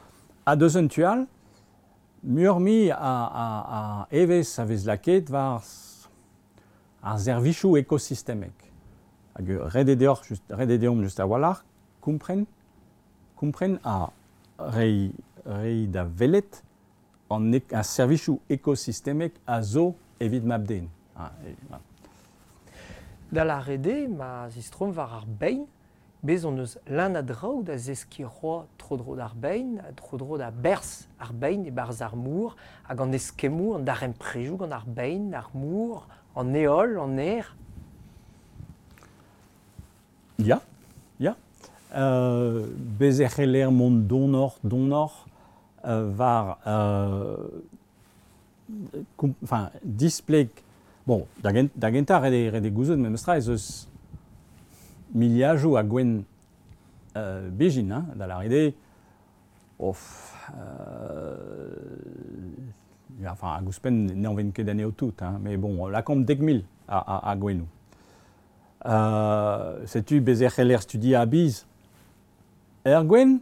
Ha deus un tu all, muioc'h-mui a, a, a evezh a vez lakaet war ar servijoù ekosistemek. Hag ret eo deoc'h, just, ret eo deomp just a-walc'h, kompren, kompren ha reiñ, reiñ da welet an ek-, ar servijoù ekosistemek a zo evit mab-den. Ah, e, voilà. Da lâret eo, ma zistrom war ar bein, bez hon eus leun a draoù da zeskiñ c'hoazh tro-dro d'ar bein, tro-dro da berzh ar bein e-barzh ar mor, hag an eskemmoù, an darempredoù gant ar bein, ar mor, an heol, an aer. Ya, ya. Euh, bez e c'heller mont donor, donor, euh, war, euh, enfin, displeg, bon, da, gent, da gentañ ret eo ret eo gouzout memestra ez eus miliajoù a gwenn euh, bezhin, hein, da lâret eo, of, euh, enfin, hag ouzhpenn n'anven ket anezho tout, hein, mais bon, lakaomp dek mil a, a, a gwennoù. Euh, setu bez e c'heller studiañ a-biz er gwenn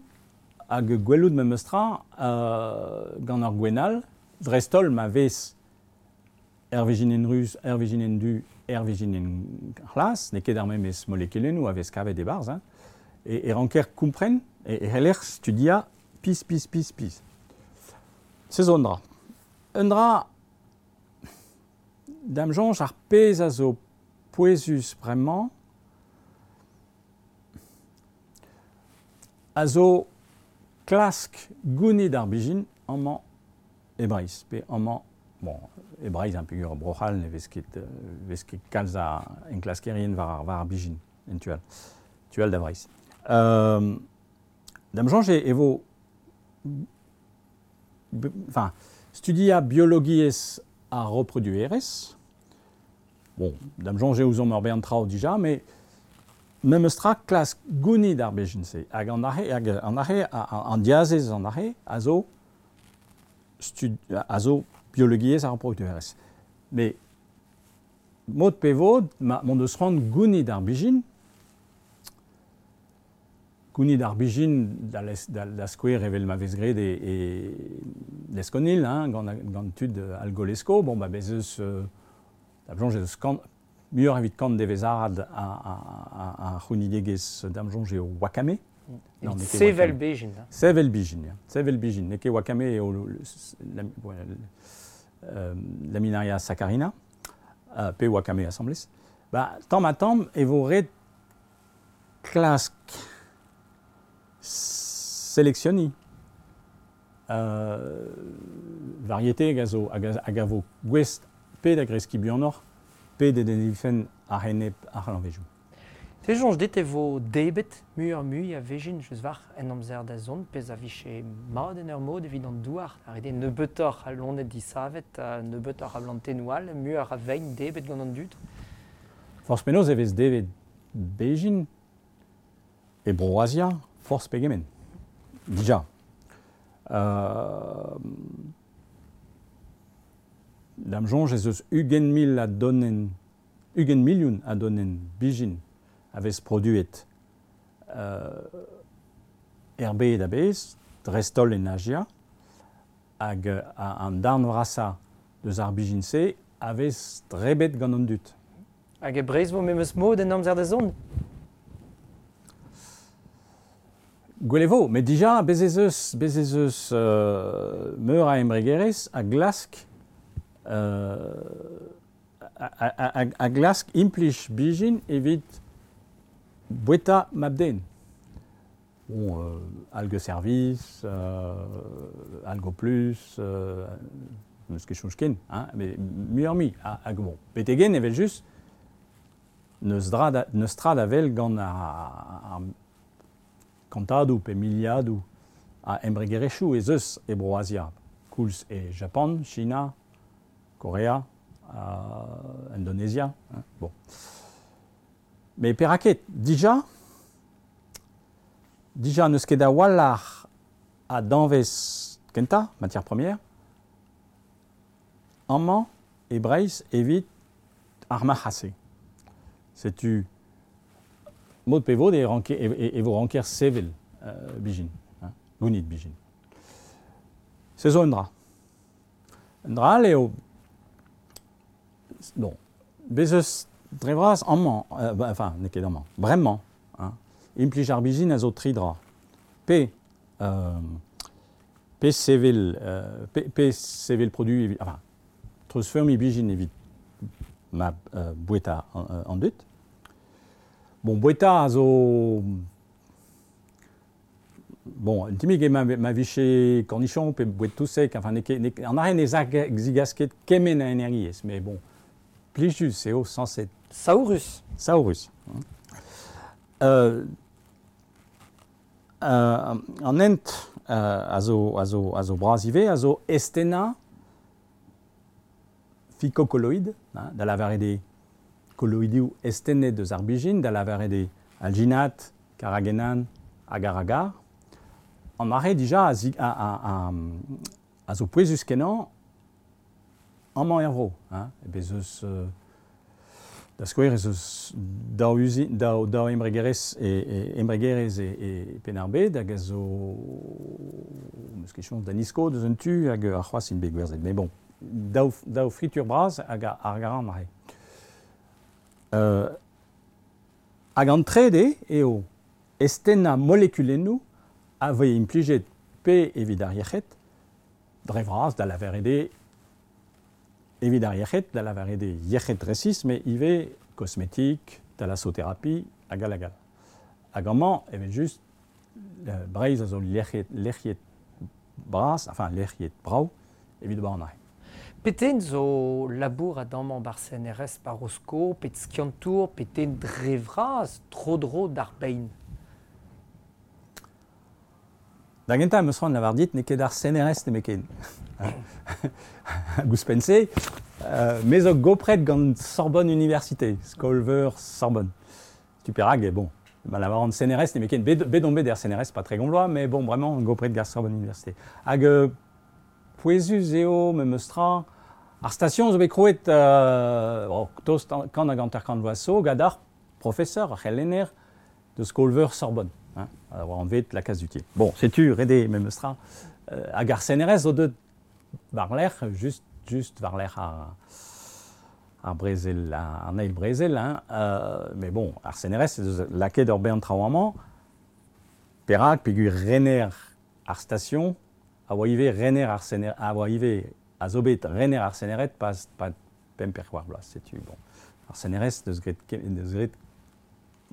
hag gwelout memestra euh, gant ur gwenn all, dreist-holl ma vez er vezhinenn ruz, er vezhinenn du, er vezhinenn c'hlas, n'eo ket ar memes molekulennoù a vez kavet e-barzh, hein, e, e ranker kompren, e, e c'heller studiañ pizh, pizh, pizh, pizh. Se zo un dra. Un dra, da'm soñj ar pezh a zo pouezus bremañ, a zo klask gounid ar bezhin amañ e Breizh, pe amañ, bon, e Breizh un peogwir Bro-C'hall ne vez ket, vez ket kalz a enklaskerien war ar, war ar bezhin, en tu all, tu all da Breizh. Euh, da'm soñj e vo, enfin, studiañ biologiezh ar reproduerezh, bon, da'm soñj eo ouzomp ur bern traoù dija, mais memestra klask gounid ar bezhin-se, hag an ahe, hag an ahe, an diazez an ahe, a zo stud, a zo biologiezh ar reproduerezh. Mais mod pe vod, ma m'hon deus c'hoant gounid ar bezhin, gounid ar bezhin da, les, da, da skouer evel ma vez graet e, e Lesconil, hein, gant, gant tud Algolesko, bon, ba bez eus, euh, da soñj eus kant, muioc'h evit kant devezh arad a, a, a, a c'hounidegezh da'm soñj eo wakame. Non, sevel bezhin. Sevel bezhin, ya. Sevel bezhin. N'eo ket wakame eo la, euh, laminaria saccharina, euh, pe wakame asambles. Ba, tamm ha tamm e vo ret klask sélectionner euh, variété hag a zo, hag a, hag a vo gouest pe da greskiñ buanoc'h, pe da denifen ar enep ar c'hlañvejoù. Te soñj dit e vo debet muioc'h mui a vezhin just war en amzer da zont, pezh a vije mat en ur mod evit an douar, ar eo nebeutoc'h a loened disavet, nebeutoc'h a blantennoù all, muioc'h a vein debet gant an dud. Forzh penaos e vez debet bezhin e Bro-Azia, forzh pegement. Dija. Euh, da'm soñj ez eus ugent mil a donenn, ugent milion a donenn bezhin a vez produet euh, er bed a-bezh, dreist-holl en Azia, hag an darn vrasañ deus ar bezhin-se a vez drebet gant an dud. Hag e Breizh vo memes mod en amzer da zont? Gwell e vo, met dija, bez ez eus, bez ez eus euh, meur a embregerezh a glask euh, a, a, a, a glask implij bezhin evit boueta mab-den. Bon, euh, Algue Service, euh, Algo Plus, euh, n'eus ket soñj ken, hein, mais muioc'h-mui. Hag bon, betek-hen evel-just, n'eus dra da, n'eus tra da wel gant ar, ar kantadoù pe miliadoù a embregerezhioù ez eus e Bro-Azia, koulz e Japan, China, Korea, euh, Indonezia, hein, bon. Mais perak ket, dija, dija n'eus ket a-walc'h a danvez kentañ, matière première, amañ e Breizh evit ar marc'had-se. Setu mod pe vod e, ranke, e, e, e vo ranker sevel euh, bezhin, hein, gounid bezhin. Se zo un dra. Un dra all eo, bon, bez eus dre vras amañ, euh, ba, enfin, n'eo ket amañ, bremañ, hein, implij ar bezhin a zo tri dra. Pe, euh, pe sevel, euh, pe, pe sevel produit, evit, enfin, treuzfeurmiñ bezhin evit ma euh, boueta an, euh, an dud. Bon, boueta a zo... Bon, un timig eo ma, ma vije cornichon pe bouet tout sec, enfin, n'eo ket, n'eo ket, an arren ez a zigas ket kement a energiezh, mais bon, plijus eo sañset. Saourus. Saourus. Euh, euh, an hent euh, a zo, a zo, a zo bras ivez, a zo estena phycocolloïd, hein, da lavaret eo kolloidioù estenet eus ar bijin, da lavaret eo alginat, karagenan, agar-agar. An arre dija a, zi, a, a, a, a zo pouezus kenañ amañ er vro. Hein. Bez eus, euh, da skouer ez eus daou, uzi, daou, daou embregerezh e, e, embregerezh e, e Penn-ar-Bed hag a zo meus ket soñj da Nisko deus un tu hag ar c'hoazh int bet gwerzhet. Mais bon, daou, daou fritur bras hag ar garan arre. Euh, hag an trede eo estennañ molekulennoù a voe implijet pe evit ar yec'hed, dre vras da lavaret eo evit ar yec'hed, da lavaret eo yec'hed resis, met ivez kosmetik, thalassothérapie, hag all hag all. Hag amañ, evel just, euh, Breizh a zo lec'hiet, lec'hiet bras, enfin lec'hiet brav, evit ober an arre. Peten zo labour a damañ bar C N R S par Rosko, pet skiantour, peten dre vras, tro-dro d'ar bein. Da gentañ em eus c'hoant lavar dit n'eo ket ar C N R S nemetken. Ouzhpenn-se, euh, me zo gopret gant Sorbonne Université, Skolveur Sorbonne. Tu perak, bon, ma lavaran C N R S nemetken, bet, bet on bet er C N R S, pas très gonvloa, mais bon, vraiment, gopret gant Sorbonne Université. Hag euh, pouezus eo, me meus tra, ar station zo bet krouet, euh, oh, tost kant hag hanter-kant vloaz zo, gant ar professeur, ar c'helenner de Skolveur Sorbonne. Hein, war anvet la case du Thier. Bon, setu, rede me meus tra, euh, hag ar C N R S zo deut war-lerc'h, just, just war-lerc'h ar, ar brezel, ar eil brezel, hein, euh, mais bon, ar C N R S eus lakaet ur bern traoù amañ, perak, peogwir rener ar station, a oa ivez rener ar C N R, a oa ivez a zo bet rener ar C N R S pas, pas pemp per c'hwec'h bloaz, setu, bon. Ar C N R S deus graet, deus graet,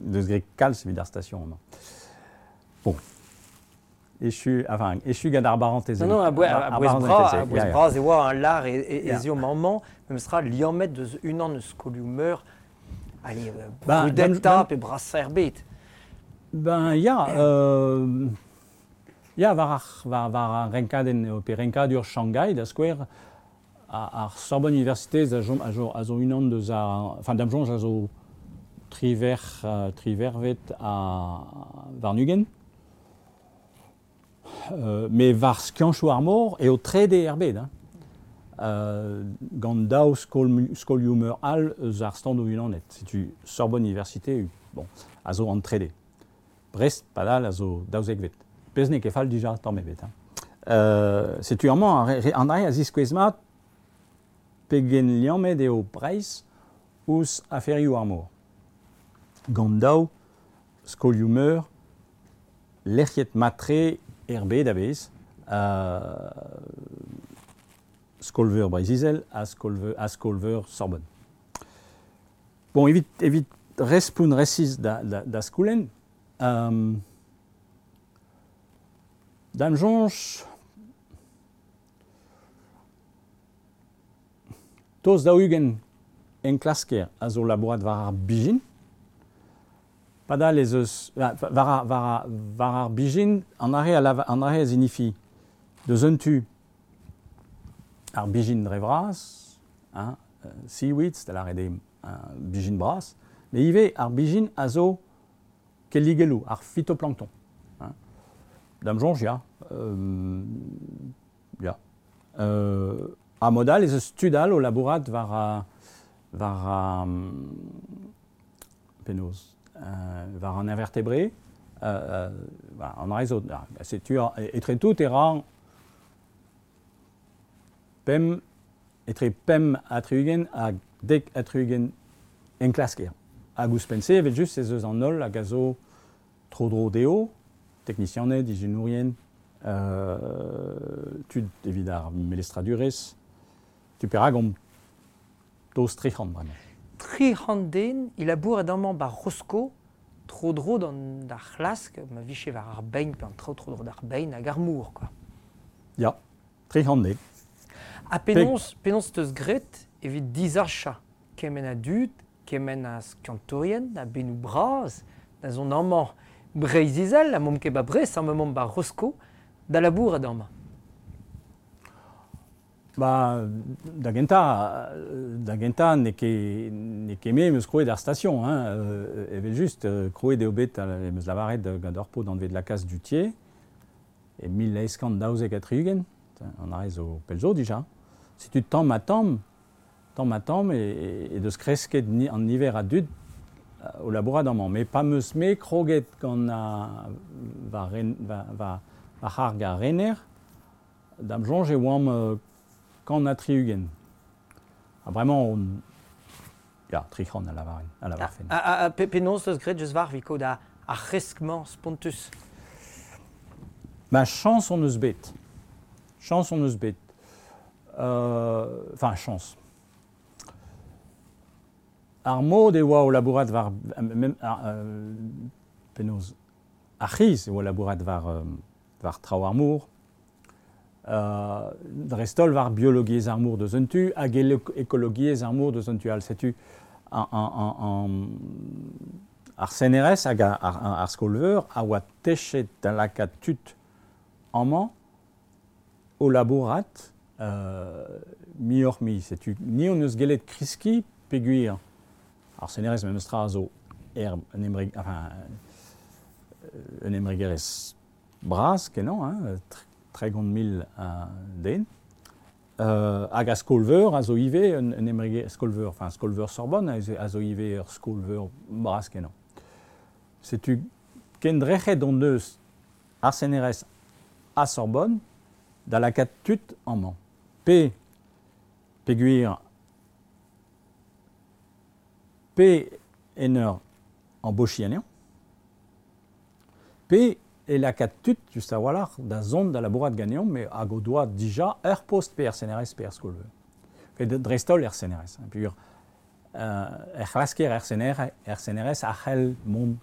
deus graet kalz evit ar station amañ. Bon. Echu, enfin, echu gant ar barantez. Non, non, a bouez, Ar a bouez barantez, bras, ya, a bouez ya. bras e oa un lar e, e, Ya. e zio maman, même sera liammet deus unan eus skolioù meur, allez, euh, Ben, brudetta ben, pe brasa er bet. Ben, ya, euh, ya, war ar, war, war ar renkadenn, pe renkadur Shanghai, da skouer, ar, ar Sorbonne Université a zo, a zo, a zo unan deus ar, enfin, da'm soñj a zo triver, euh, trivervet a warn-ugent. Euh, mais war skianchoù ar mor eo trede er bed, hein. Euh, gant daou skol, skolioù meur all eus ar standoù unanet. Setu Sorbonne Université, bon, a zo an trede. Brest, padal, a zo daouzekvet. Pezh n'eo ket fall dija tamm ebet, hein. Euh, setu amañ, ar re, an dra a ziskouez mat pegen liammet eo Breizh ouzh aferioù ar mor. Gant daou skolioù meur lec'hiet matre er bed a-bezh, euh, Skolveur Breizh-Izel ha Skolveur, ha Skolveur Sorbonne. Bon, evit, evit respont resis da, da, da skoulenn, euh, da'm soñj, tost daou-ugent enklasker a zo labourat war ar bijin. Padal ez eus, ah, war ar, war ar, war ar bijin, an arre a lava, an arre a zinifi deus un tu ar bijin dre vras, hein, euh, seaweeds, da lâret eo, hein, bijin bras, mais ivez ar bijin a zo kelligelloù, ar phytoplancton. Hein. Da'm soñj, ya. Euh, ya. Euh, a modal ez eus tud all o labourat war a, war a, penaos, euh, war an invertébré, euh, euh, voilà, an arre zo, ah, setu ar, etre tout e ra pemp, etre pemp ha tri-ugent hag dek ha tri-ugent enklasker. Hag ouzhpenn-se, evel just, ez eus an holl hag a zo tro-dro dezho, teknisianed, ijinourien, euh, tud evit ar melestradurezh, tu perak omp tost tri c'hant bremañ. Tri c'hant den, il labour edamañ bar Rosko, tro-dro d'an d'ar c'hlask, ma vije war ar bein, pe an traoù tro-dro d'ar bein hag ar mor, quoi. Ya, tri c'hant den. Ha penaos, penaos teus graet evit disachañ kement a dud, kement a skiantourien, a bennoù bras, da zont amañ. Breizh-Izel, ha momp ket ba Brest, ha momp ba Rosko, da labourat amañ. Ba, da gentañ, da gentañ n'eo ket, n'eo ket me em eus krouet ar station, hein, euh, evel just, krouet eo bet, em eus lavaret gant ur paotr anvet Lacasse Duthiers, e mil eizh kant daouzek ha tri-ugent, an arre zo pell zo dija. Setu tamm ha tamm, tamm ha tamm, e, e, e deus kresket ni, an niver a dud o labourat amañ. Mais pa 'm eus me kroget gant a, va, ren, va, va, va c'harg a rener, da'm soñj e oamp euh, kant ha tri-ugent. Ha bremañ on... Ya, tri c'hant a lavaren, a lavarfen. Ha, ha, ha pe, penaos eus graet just war evit kaout ar, ar c'hresk-mañ spontus? Ma chañs hon eus bet. Chañs hon eus bet. Euh, enfin, chañs. Ar mod e oa o labourat war... Mem, ar, euh, penaos, ar c'hiz e oa labourat war, euh, war traoù ar mor. Euh, dreist-holl war biologiezh ar mor deus un tu hag ekologiezh ar mor deus un tu all. Setu an, an, an, an, ar C N R S hag ar, ar, ar skol-veur a oa techet da lakaat tud amañ o labourat euh, muioc'h-mui. Setu ni hon eus gellet kreskiñ peogwir ar C N R S memes tra a zo er, un embreg, enfin, un embregerezh bras kenañ, hein, tregont mil uh, den. Euh, hag a skol-veur a zo ivez un, un embreger skol-veur, enfin skol-veur Sorbonne a zo, a zo ivez ur skol-veur bras kenañ. Setu kendrec'het hon eus ar C N R S a Sorbonne da lakaat tud amañ. Pe, peogwir, pe en ur embauchiñ anezhañ, pe e lakaat tud, just a-walc'h, da zont da labourat ganeomp, mais hag o doa dija ur post pe er C N R S pe er skol-veur. Pe dreist-holl er C N R S. Hein, peogwir euh, er c'hlasker er C N R, er C N R S a c'hell mont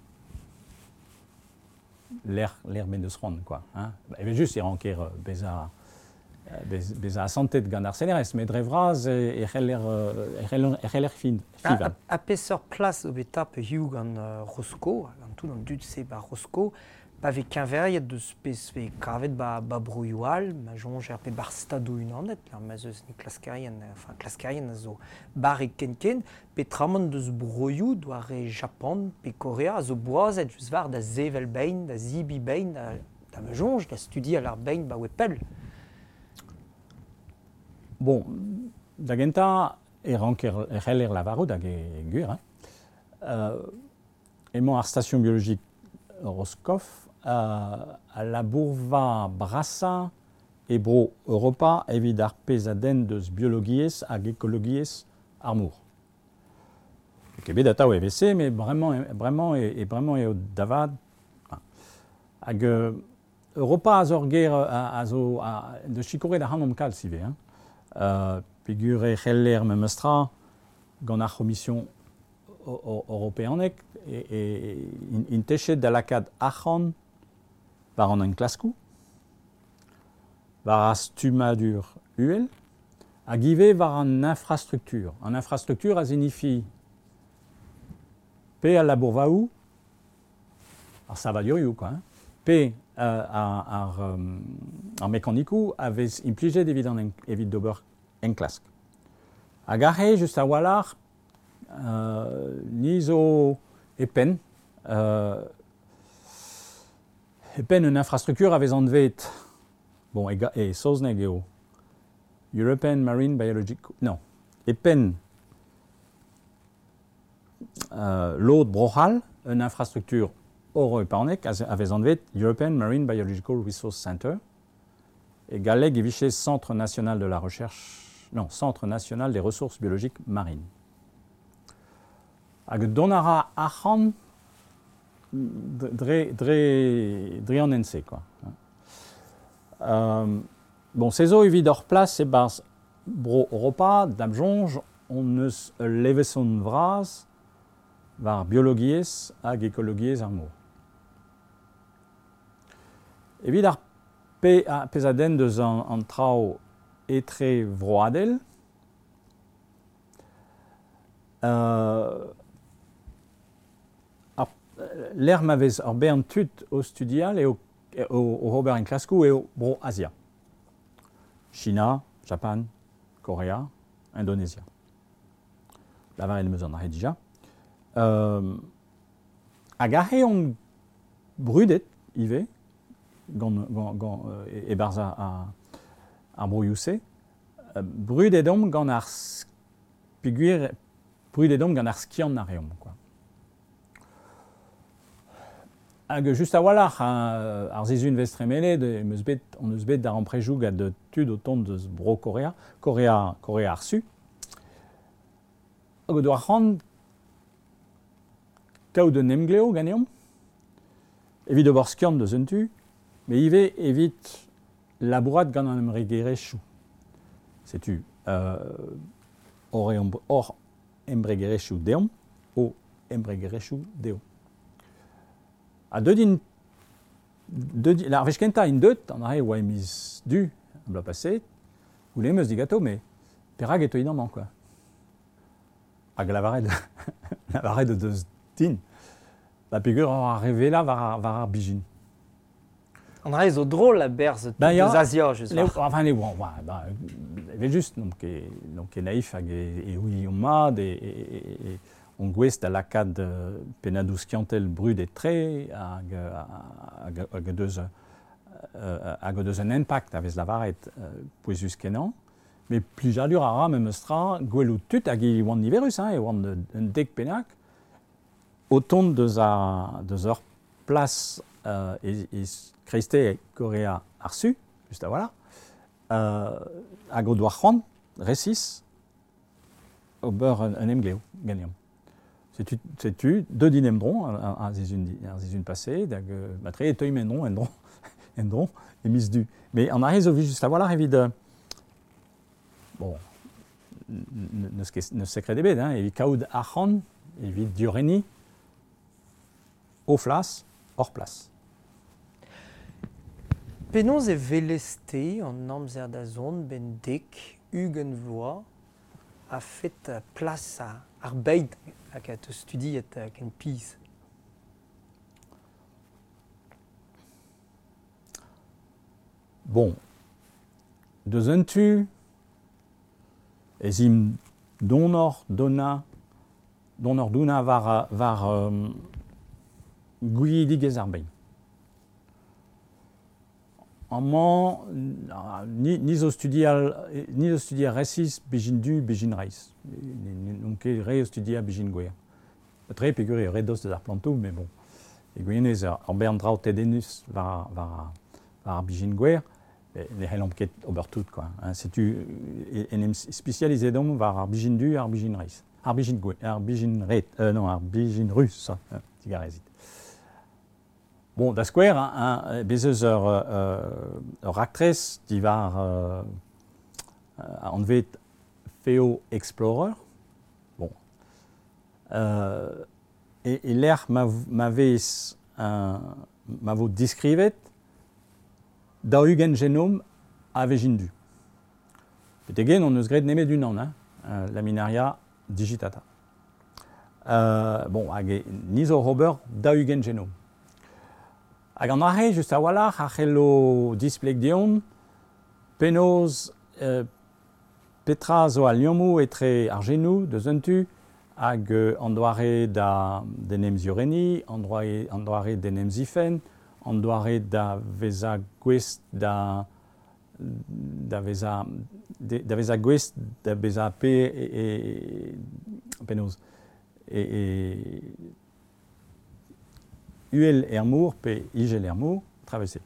l'air l'air ben deus c'hoant, quoi. Hein. Evel just e ranker bezañ bezañ asantet gant ar C N R S, met dre vras e, e c'heller e c'heller e c'heller fin fivañ. Ha, ha peseurt plas zo bet tapet hiziv gant uh, Rosko, gant tout an dud-se ba Rosko, pa vez keñveriet deus pezh vez kavet ba, ba broioù all, ma soñjer pe bar stadoù unanet, là, ma zeus ni klaskerien, enfin klaskerien a zo barrek ken-ken, pe tramant deus broioù doare Japan pe Korea a zo boazet just war da sevel bein, da zibi bein, da, da ma soñj, da studial ar bein ba oe pell. Bon, da gentañ e ranker e c'heller lavarout hag e gwir, hein. Euh, emañ ar station biologique Roscoff euh, a labourva brasañ e bro Europa evit ar pezh a denn deus biologiezh hag ekologiezh ar mor. Ket bet atav e V C, met bremañ, bremañ e, e bremañ eo davad. Hag euh, Europa a zo ur ger a, a zo a, deus sikouret ac'hanomp kalz ivez, hein. Euh, peogwir e c'heller memes tra gant ar c'homision europeanek e, e, int techet da lakaat arc'hant war an enklaskoù, war ar stummadur uhel, hag ivez war an infrastruktur. An infrastruktur a signifie pe al labourvaoù, ar savadurioù, quoi, hein, pe euh, ar, ar, um, ar mekanikoù a vez implijet evit an evit d'ober enklask. Hag aze, just a-walc'h, euh, ni zo e penn, euh, e penn un infrastruktur a vez anvet, bon, e, e saozneg eo, European Marine Biological, non, e penn euh, lod Bro-C'hall, un infrastruktur europeanek a vez anvet European Marine Biological Resource Center, e galleg e vije Centre National de la Recherche, non, Centre National des Ressources Biologiques Marines. Hag dont a ra arc'hant dre, dre, dre an N C, quoi. Euh, bon, se zo evit ur plas e-barzh bro Europa, da'm soñj, hon eus ul levezon vras war biologiezh hag ekologiezh ar mor. Evit ar pe, a, pezh a denn deus an, an traoù etre vroadel, euh, ar L'er ma vez ur bern tud o studial eo o, o ober en klaskou eo bro Asia. China, Japan, Korea, Indonesia. Lavaret em eus an ahe dija. Euh, hag ahe on brudet ivez gant, gant, gant e, e barz ar, ar broioù-se. Brudet omp gant ar peogwir brudet omp gant ar skiant a reomp, quoi. Hag just a-walc'h ar sizhun vez tremenet em eus bet, on eus bet d'ar amprejoù gant tud o tont deus bro Korea, Korea, Korea ar Su. Hag o doa c'hoant kaout un emglev ganeomp, evit ober skiant deus un tu, met ivez evit labourat gant an embregerezhioù. Setu euh, hor embregerezhioù deomp, o embregerezhioù dezho. Ha deut int, deut, ar wech kentañ int deut, an ahe oa e miz du, an bloaz paseet, goulennet em eus digato, met perak e teuint amañ, quoi. Hag lavaret, lavaret o deus din, ba peogwir ar revela war ar, war ar bijin. An ahe zo drôle a berzh ben ya, deus Asia, just war. Enfin, ne oa, oa, ba, evel just, n'omp ket, n'omp ket naïf hag e, e ouiomp mat, e, e, e, e on gouest da lakaat uh, pennadoù skiantel brudet-tre hag, hag, hag deus, uh, hag deus un impact a vez lavaret uh, pouezus kenañ. Met plijadur a ra memes tra gwelout tud hag e oant niverus, hein, e oant un dek pennak, o tont deus, a, deus ur plas uh, e, e kreisteiz Korea ar Su, just a-walc'h, uh, hag o doa c'hoant resis ober un, un emglev ganeomp. Setu, setu deut int emdron ar sizhun paseet, hag matre e teuimp endron, endron, endron, e miz du. Met an ahe zo just a-walc'h evit... Bon, n'eus ket, n'eus sekred ebet, hein, evit kaout arc'hant, evit diorrenniñ o flas, hor plas. Penaos e welez-te an amzer da zont ben dek, ugent vloaz, a fet plas ar bed hag a teus studiet ken pizh? Bon, deus un tu, ez imp donor dona, donor dona war, war um, gouizidigezh ar bed. Amañ, ni, ni zo studial, ni zo studial resis bejin du, bejin reizh. N'on ket re o studial bejin gwer. Tre peogwir eo re dost deus ar plantoù, met bon. E gwirionez ur bern draoù tedennus war, war, war ar bejin gwer, ne c'hellomp ket ober tout, quoi. Hein, setu en em spesializet omp war ar bejin du, ar bejin reizh. Ar bejin gwer, ar bejin ret, euh, non, ar bejin rus, hein, digarezit. Bon, da skouer, hein, bez eus ur, euh, ur raktres diwar euh, anvet Feo Explorer. Bon. Euh, e, e lec'h ma, ma vez un, ma vo diskrivet daou-ugent genom a vezhin du. Betek-hen on eus graet nemet unan, hein, Laminaria digitata. Euh, bon, hag e, ni zo ober daou-ugent genom. Hag an ahe, just a-walc'h, a c'hello displeg deomp penaos euh, petra zo al liammoù etre ar genoù deus un tu hag euh, an doare da d'en em ziorrenniñ, an doare, an doare d'en em zifenn, an doare da vezañ gouest da da vezañ da vezañ gouest da bezañ pe e, e penaos e, e uhel er mor pe igel er mor, traversé.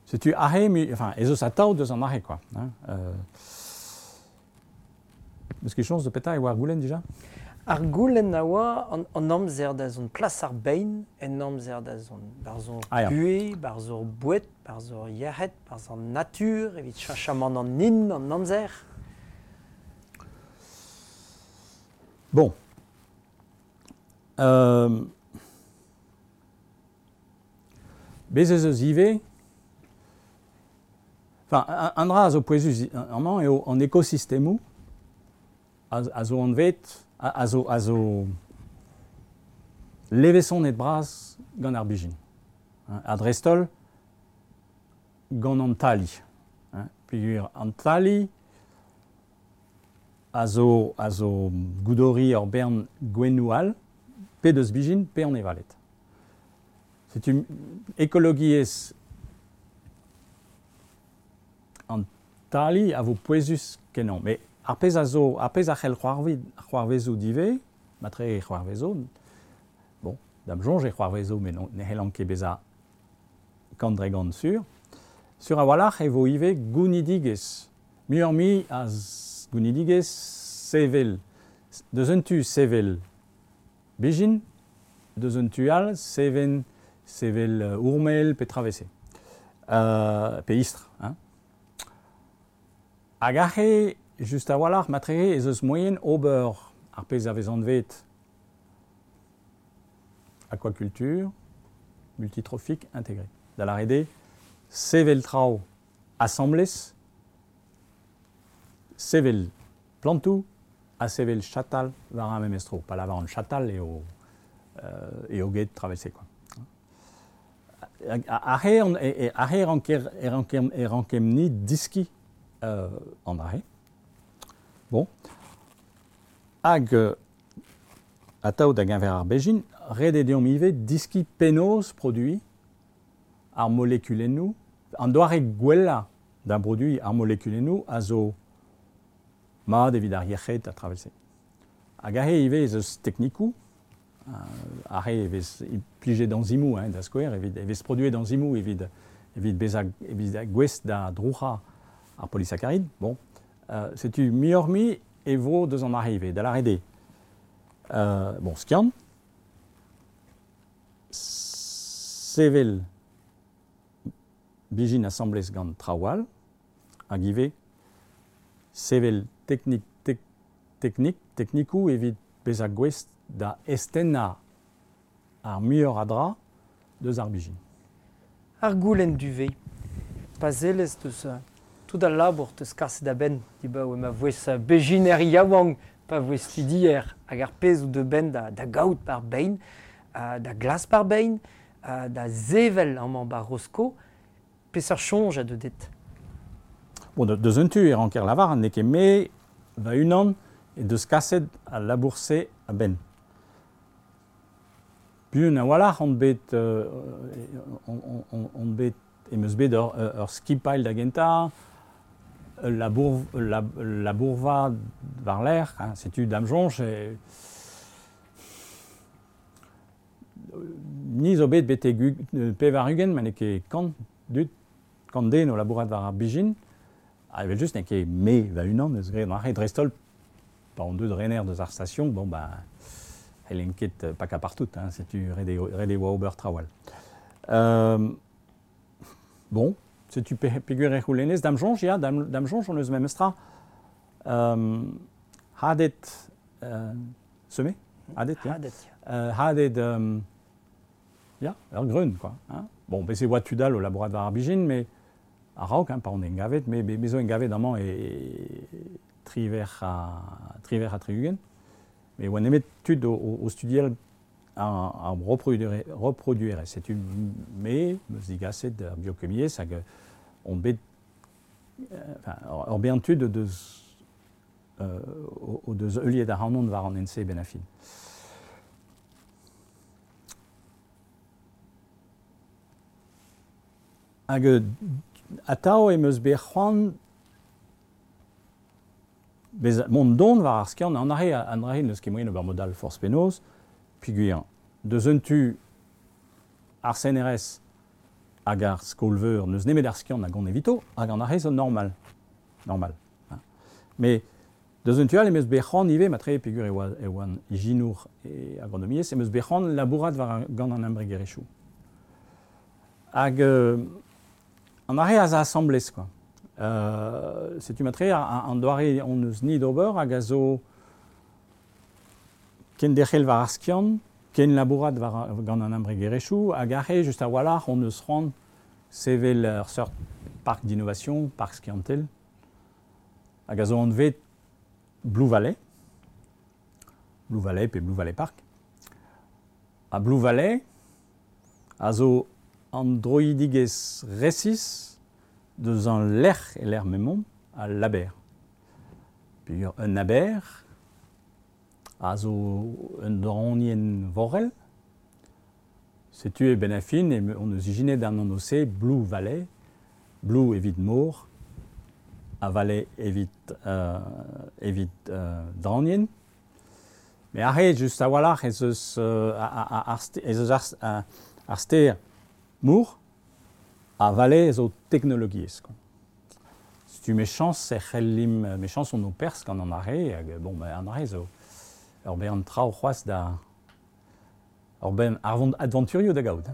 Setu ahe, mi, enfin, ez eus atav deus an ahe, quoi. Hein, euh, Eus ket chañs de petra e oa ar goulenn dija? Ar goulenn a oa an, an amzer da zont plas ar bein en amzer da zont. Barzh hor ah, ya. buhez, barzh hor boued, barzh hor yec'hed, barzh an natur, evit cheñchamant an hin, an amzer. Bon. Euh, bez ez eus ivez, enfin, un dra a zo pouezus amañ eo an ekosistemoù a, a zo anvet, a, a zo, a zo leveson et braz gant ar bijin. Hein, a dreistol gant an tali. Hein, peogwir an tali a zo, a zo goudori ur bern gwennou all, pe deus bijin, pe an evalet. Setu ekologiezh an tali a vo pouezus kenañ. Mais ar pezh a zo, ar pezh a c'hell c'hoarvezoù dive, matre e c'hoarvezo, bon, da'm soñj e c'hoarvezo, met ne c'hellan ket bezañ kant dre gant sur, sur a-walc'h e vo ivez gounidigezh. Muioc'h-mui a gounidigezh sevel, deus un tu sevel bijin, deus un tu all seven, sevel uh, ourmel pe travese, euh, pe istr. Hein. Hag aze, just a-walc'h, matreze ez eus moien ober ar pezh a vez anvet aquaculture multitrophique intégrée. Da lâret eo, sevel traoù asambles, sevel plantoù ha sevel chatal war ar memes tro. Pa lavaran chatal eo, euh, eo get travese, quoi. Aze e ranker, e ranker, e rankem ni diski euh, an aze. Bon. Hag euh, atav da geñver ar bezhin, ret eo deomp ivez diski penaos produiñ ar molekulennoù, an doare gwellañ da broduiñ ar molekulennoù a zo mat evit ar yec'hed a travese. Hag aze ivez ez eus teknikoù, uh, aze e vez implijet enzimoù, hein, da skouer, evit, e vez produet enzimoù evit, evit bezañ evit gouest da drouc'hañ ar polysaccharid. Bon, euh, setu muioc'h-mui e vo deus an aze ivez, da lâret eo. Euh, bon, skiant, sevel bijin asambles gant traoù all, hag ivez sevel teknik, tek, teknik, teknikoù evit bezañ gouest da eztennañ ar muioc'h a dra deus ar bijin. Ar goulenn duve, pa sellez deus tout al labour teus kaset a-benn, dibaoe ma voes bezhiner yaouank, pa voes studier hag ar pezh out de benn da, da gaout par bein, uh, da glas par bein, uh, da sevel amañ bar Rosko, peseurt soñj a deu dit? Bon, de, deus un tu e ranker lavar, n'eo ket me va-unan e deus kaset al labour-se a-benn. Buan a-walc'h on bet, euh, on, on, on bet, em eus bet ur, ur skipailh da gentañ, ul labour, ul labourva war-lerc'h, hein, setu da'm soñj, e, ni zo bet betek pevar-ugent, ma n'eo ket kant dud, kant den o labourat war ar bijin, ha evel-just n'eo ket me va-unan eus graet an aze, dreist-holl, pa on deut rener deus ar station, bon, ben, c'hellen ket pakañ partout, hein, setu ret eo, ret eo ober traoù all. Euh, bon, setu pe, peogwir e c'houlennez, da'm soñj, ya, da'm, da'm soñj on eus memes tra. Euh, hadet, euh, semé, hadet, ya. Hadet, ya. Euh, hadet, euh, ya, ur greun, quoi. Hein. Bon, bez' e oa tud all o labourat war ar bijin, mais a-raok, hein, pa on engavet, mais me zo engavet amañ e, e triwec'h ha, triwec'h ha tri-ugent. Mais oa nemet tud o, o, o studial ar, ar reproduere, reproduere. Setu me, meus digaset ar biokemiezh hag on bet, enfin, ur bern tud o deus, euh, o deus heuliet ac'hanon war an N C ben a fin. Hag atav em eus bet c'hoant bez mont don war ar skiant, an arre, an arre n'eus ket moaien ober mod all forzh penaos, peogwir deus un tu ar C N R S hag ar skol-veur n'eus nemet ar skiant hag on evito, hag an arre zo normal. Normal. Hein. Mais deus un tu all em eus bet c'hoant ivez, matre peogwir e oa, e oan ijinour e agronomiezh, em eus bet c'hoant labourat war gant an embregerezhioù. Hag euh, an arre a za asambles, quoi. Euh, setu matre an doare on eus ni d'ober hag a zo ken derc'hel war ar skiant, ken labourat war gant an embregerezhioù, hag arre, just a-walc'h, on eus c'hoant sevel ur seurt park d'innovation, park skiantel, hag a zo anvet Blue Valley, Blue Valley pe Blue Valley Park. A Blue Valley a zo an droidigez resis deus an lec'h e l'er memon a l'aber. Puis un aber a zo un dronien vorel. Setu e ben a fin, e on eus ijinet an an ose Blue Valley, Blue evit mor, a Valley evit, euh, evit euh, dranien. Mais arre, just a-walc'h ez eus, euh, ar, ez eus ar, ar, ar ster mour a Valley zo teknologiezh. Setu mes chans e c'hellim, mes chans on o pers gant an arre, hag bon, ben, an arre zo ur ben traoù c'hoazh da ur ben arvont adventurio da gaout.